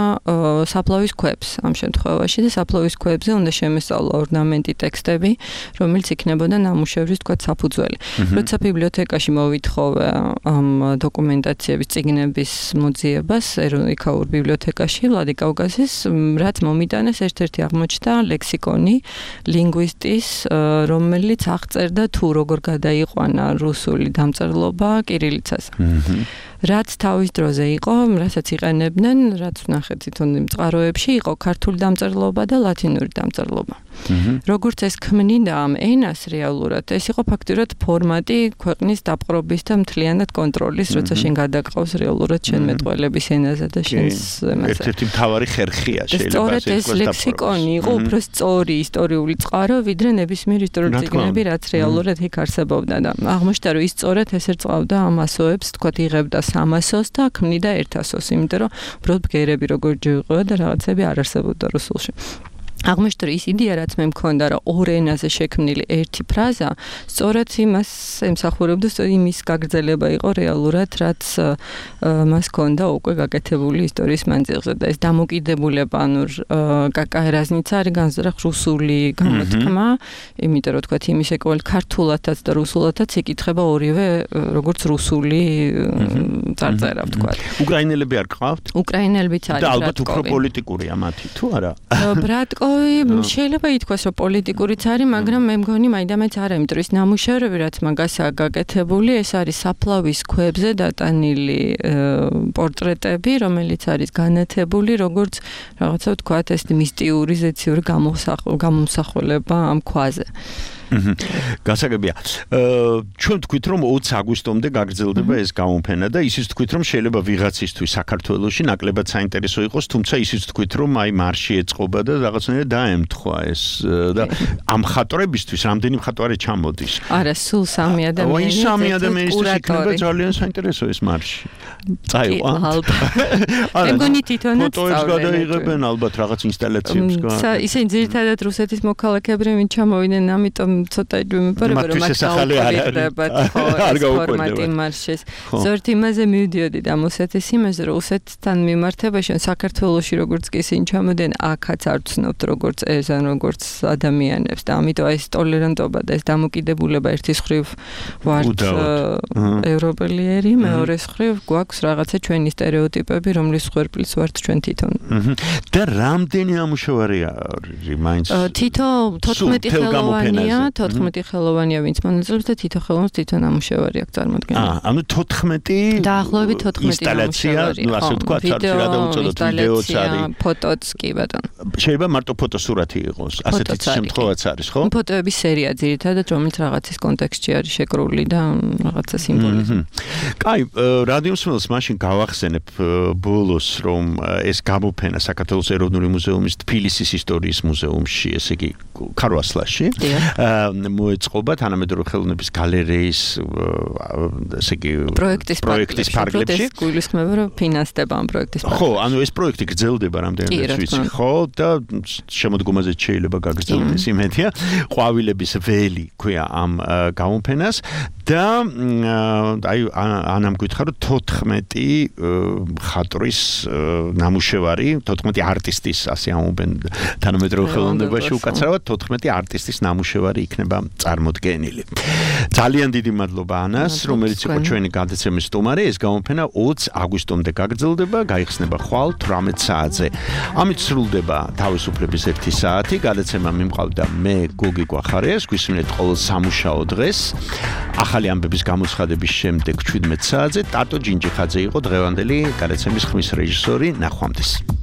საფლავის ქვებს ამ შემთხვევაში და საფლავის ქვებზე უნდა შემესწავლა ორნამენტი ტექსტები, რომელიც იქნებოდა ნამუშევრის თქვა საფუძველი. როცა ბიბლიოთეკაში მოვითხოვე ამ დოკუმენტაციების წიგნების მოძიებას ეროვნულ ბიბლიოთეკაში ვლადიკავკაზის, რაც მომიტანეს ერთ-ერთი აღმოჩნდა ლექსიკონი ლინგვისტის, რომელიც აღწერდა თუ როგორ გადაიყვანა რუსული დამწერლობა კირილიცაზე. რაც თავის დროზე იყო, რასაც იყენებდნენ, რაც ვნახეთ თვითონ იმ წყაროებში, იყო ქართული დამწერლობა და ლათინური დამწერლობა. როგორც ეს ქმნიდა ამ ენას რეალურად, ეს იყო ფაქტურად ფორმატი ქვეყნის დაპყრობის და მთლიანად კონტროლის, როცა შენ გადაყავს რეალურად შენ მეტყველების ენაზე და შენს ენაზე. ერთ-ერთი მთავარი ხერხია შეიძლება სწორედ ეს ლექსიკონი იყო უფრო სწორი ისტორიული წყარო, ვიდრე ნებისმიერ ისტორიულ წიგნები, რაც რეალურად იქ არსებობდა და აღმოჩნდა, რომ ის სწორედ ეს ერწყავდა ამ ასოებს, თქვათ იღებდა 300-ს და ქმნიდა 100-ს, იმიტომ რომ უბრალოდ ბგერები როგორ ჯიყვება და რაღაცები არ არსებობდა რუსულში. აღმოჩნდა, რომ ის იდეა, რაც მე მქონდა, რომ ორ ენაზე შექმნილი ერთი ფრაზა, სწორედ იმას ემსახურებდა, იმის გაგრძელება იყო რეალურად, რაც მას ჰქონდა უკვე გაკეთებული ისტორიის მანძილზე და ეს დამოკიდებულება, ანუ კაკაერაზნიცა არის განზრახ რუსული გამოთქმა, იმიტომ რომ თქვათ იმის ეკვალ ქართულათაც და რუსულათაც იკითხება ორივე როგორც რუსული წარწერა, ვთქვათ. უკრაინელები არ გყავთ? უკრაინელებიც არის. და ალბათ უფრო პოლიტიკურია მათი, თუ არა? ბრატკო შეიძლება ითქვას, რომ პოლიტიკურიც არის, მაგრამ მე მგონი მაინდამაინც არა, იმიტომ რომ ეს ნამუშევრები, რაც მაგასაა გაკეთებული, ეს არის საფლავის ქვებზე დატანილი პორტრეტები, რომელიც არის განათებული, როგორც რაღაცა ვთქვათ, ეს მისტიური ზეციური გამომსახველება ამ ქვაზე. გასაგებია. ჩვენ თქვით, რომ 20 აგვისტომდე გაგრძელდება ეს გამოფენა და ისიც თქვით, რომ შეიძლება ვიღაცისთვის საქართველოში ნაკლებად საინტერესო იყოს, თუმცა ისიც თქვით, რომ აი მარში ეწყობა და რაღაცნაირად დაემთხვა ეს და ამ მხატვრებისთვის რამდენი მხატვარი ჩამოდის? არა, სულ 3 ადამიანი. 3 ადამიანისთვის იქნება ძალიან საინტერესო ეს მარში. წაიყვან. მე მგონი თვითონაც ფოტოებს გადაიღებენ ალბათ რაღაც ინსტალაციებს გა. ისინი ძირითადად რუსეთის მოქალაქეები ვინ ჩამოვიდნენ, ამიტომ ცოტა იმეფერება რომ მათ გაუკვირდებათ ფორმატი მარშის. ზოგადად იმაზე მივდიოდი და მოსეთის იმაზე რომ რუსეთთან მიმართებაში საქართველოში როგორც კი ისინი ჩამოდიან აქაც არ ვცნობთ როგორც ეს ან როგორც ადამიანებს და ამიტომ ეს ტოლერანტობა და ეს დამოკიდებულება ერთის მხრივ ვართ ევროპელიერი, მეორეს მხრივ გვაქვს რაღაცა ჩვენი სტერეოტიპები, რომლის ხვერპლიც ვართ ჩვენ თვითონ. და რამდენი ამუშავარია მაინც? თითო 14 ხელოვანია. 14 ხელოვანია, ვინც მონაწილეობს და თითო ხელოვანს თვითონ ამუშავარი აქვს წარმოქმნილი. ანუ 14 დაახლოებით 14 ინსტალაცია, ну ასე ვთქვათ, რა დაუწოდოთ ვიდეოც არის. ფოტოც კი ბატონო. შეიძლება მარტო ფოტოსურათი იყოს, ასეთი შემთხვევაც არის, ხო? ფოტოების სერია ძირითადად, რომელიც რაღაცის კონტექსტში არის შეკრული და რაღაცა სიმბოლიზმი. კაი, რადიოსმელს მაშინ გავახსენებ ბოლოს, რომ ეს გამოფენა საქართველოს ეროვნული მუზეუმის თბილისის ისტორიის მუზეუმში, ესე იგი ქარვასლაში მოეწყობა თანამედროვე ხელოვნების გალერეის ესე იგი პროექტის ფარგლებში. ეს გულისხმობა რომ ფინანსდება ამ პროექტის ფარგლებში. ხო, ანუ ეს პროექტი გრძელდება რამდენადაც ვიცი, ხო, და შემოდგომაზე შეიძლება გაგრძელდეს იმედია. ყვავილების ველი ქვია ამ გამოფენას და აი ანამ გითხრა რომ 14 მხატვრის ნამუშევარი, 14 არტისტის, ასე ამობენ თანამედროვე ხელოვნებაში უკაცრავად 14 არტისტის ნამუშევარი იქნება წარმოდგენილი. ძალიან დიდი მადლობა ანას, რომელიც იყო ჩვენი გადაცემის სტუმარი. ეს გამოფენა 20 აგვისტომდე გაგრძელდება, გაიხსნება ხვალ 18 საათზე. ამით სრულდება თავისუფლების 1 საათი. გადაცემა მიმყავდა მე გოგი გვახარიას, გვისმენთ ყოველ სამუშაო დღეს. ახალი ამბების გამოცხადების შემდეგ 17 საათზე ტატო ჯინჯიხაძე იყო დღევანდელი გადაცემის ხმის რეჟისორი. ნახვამდის.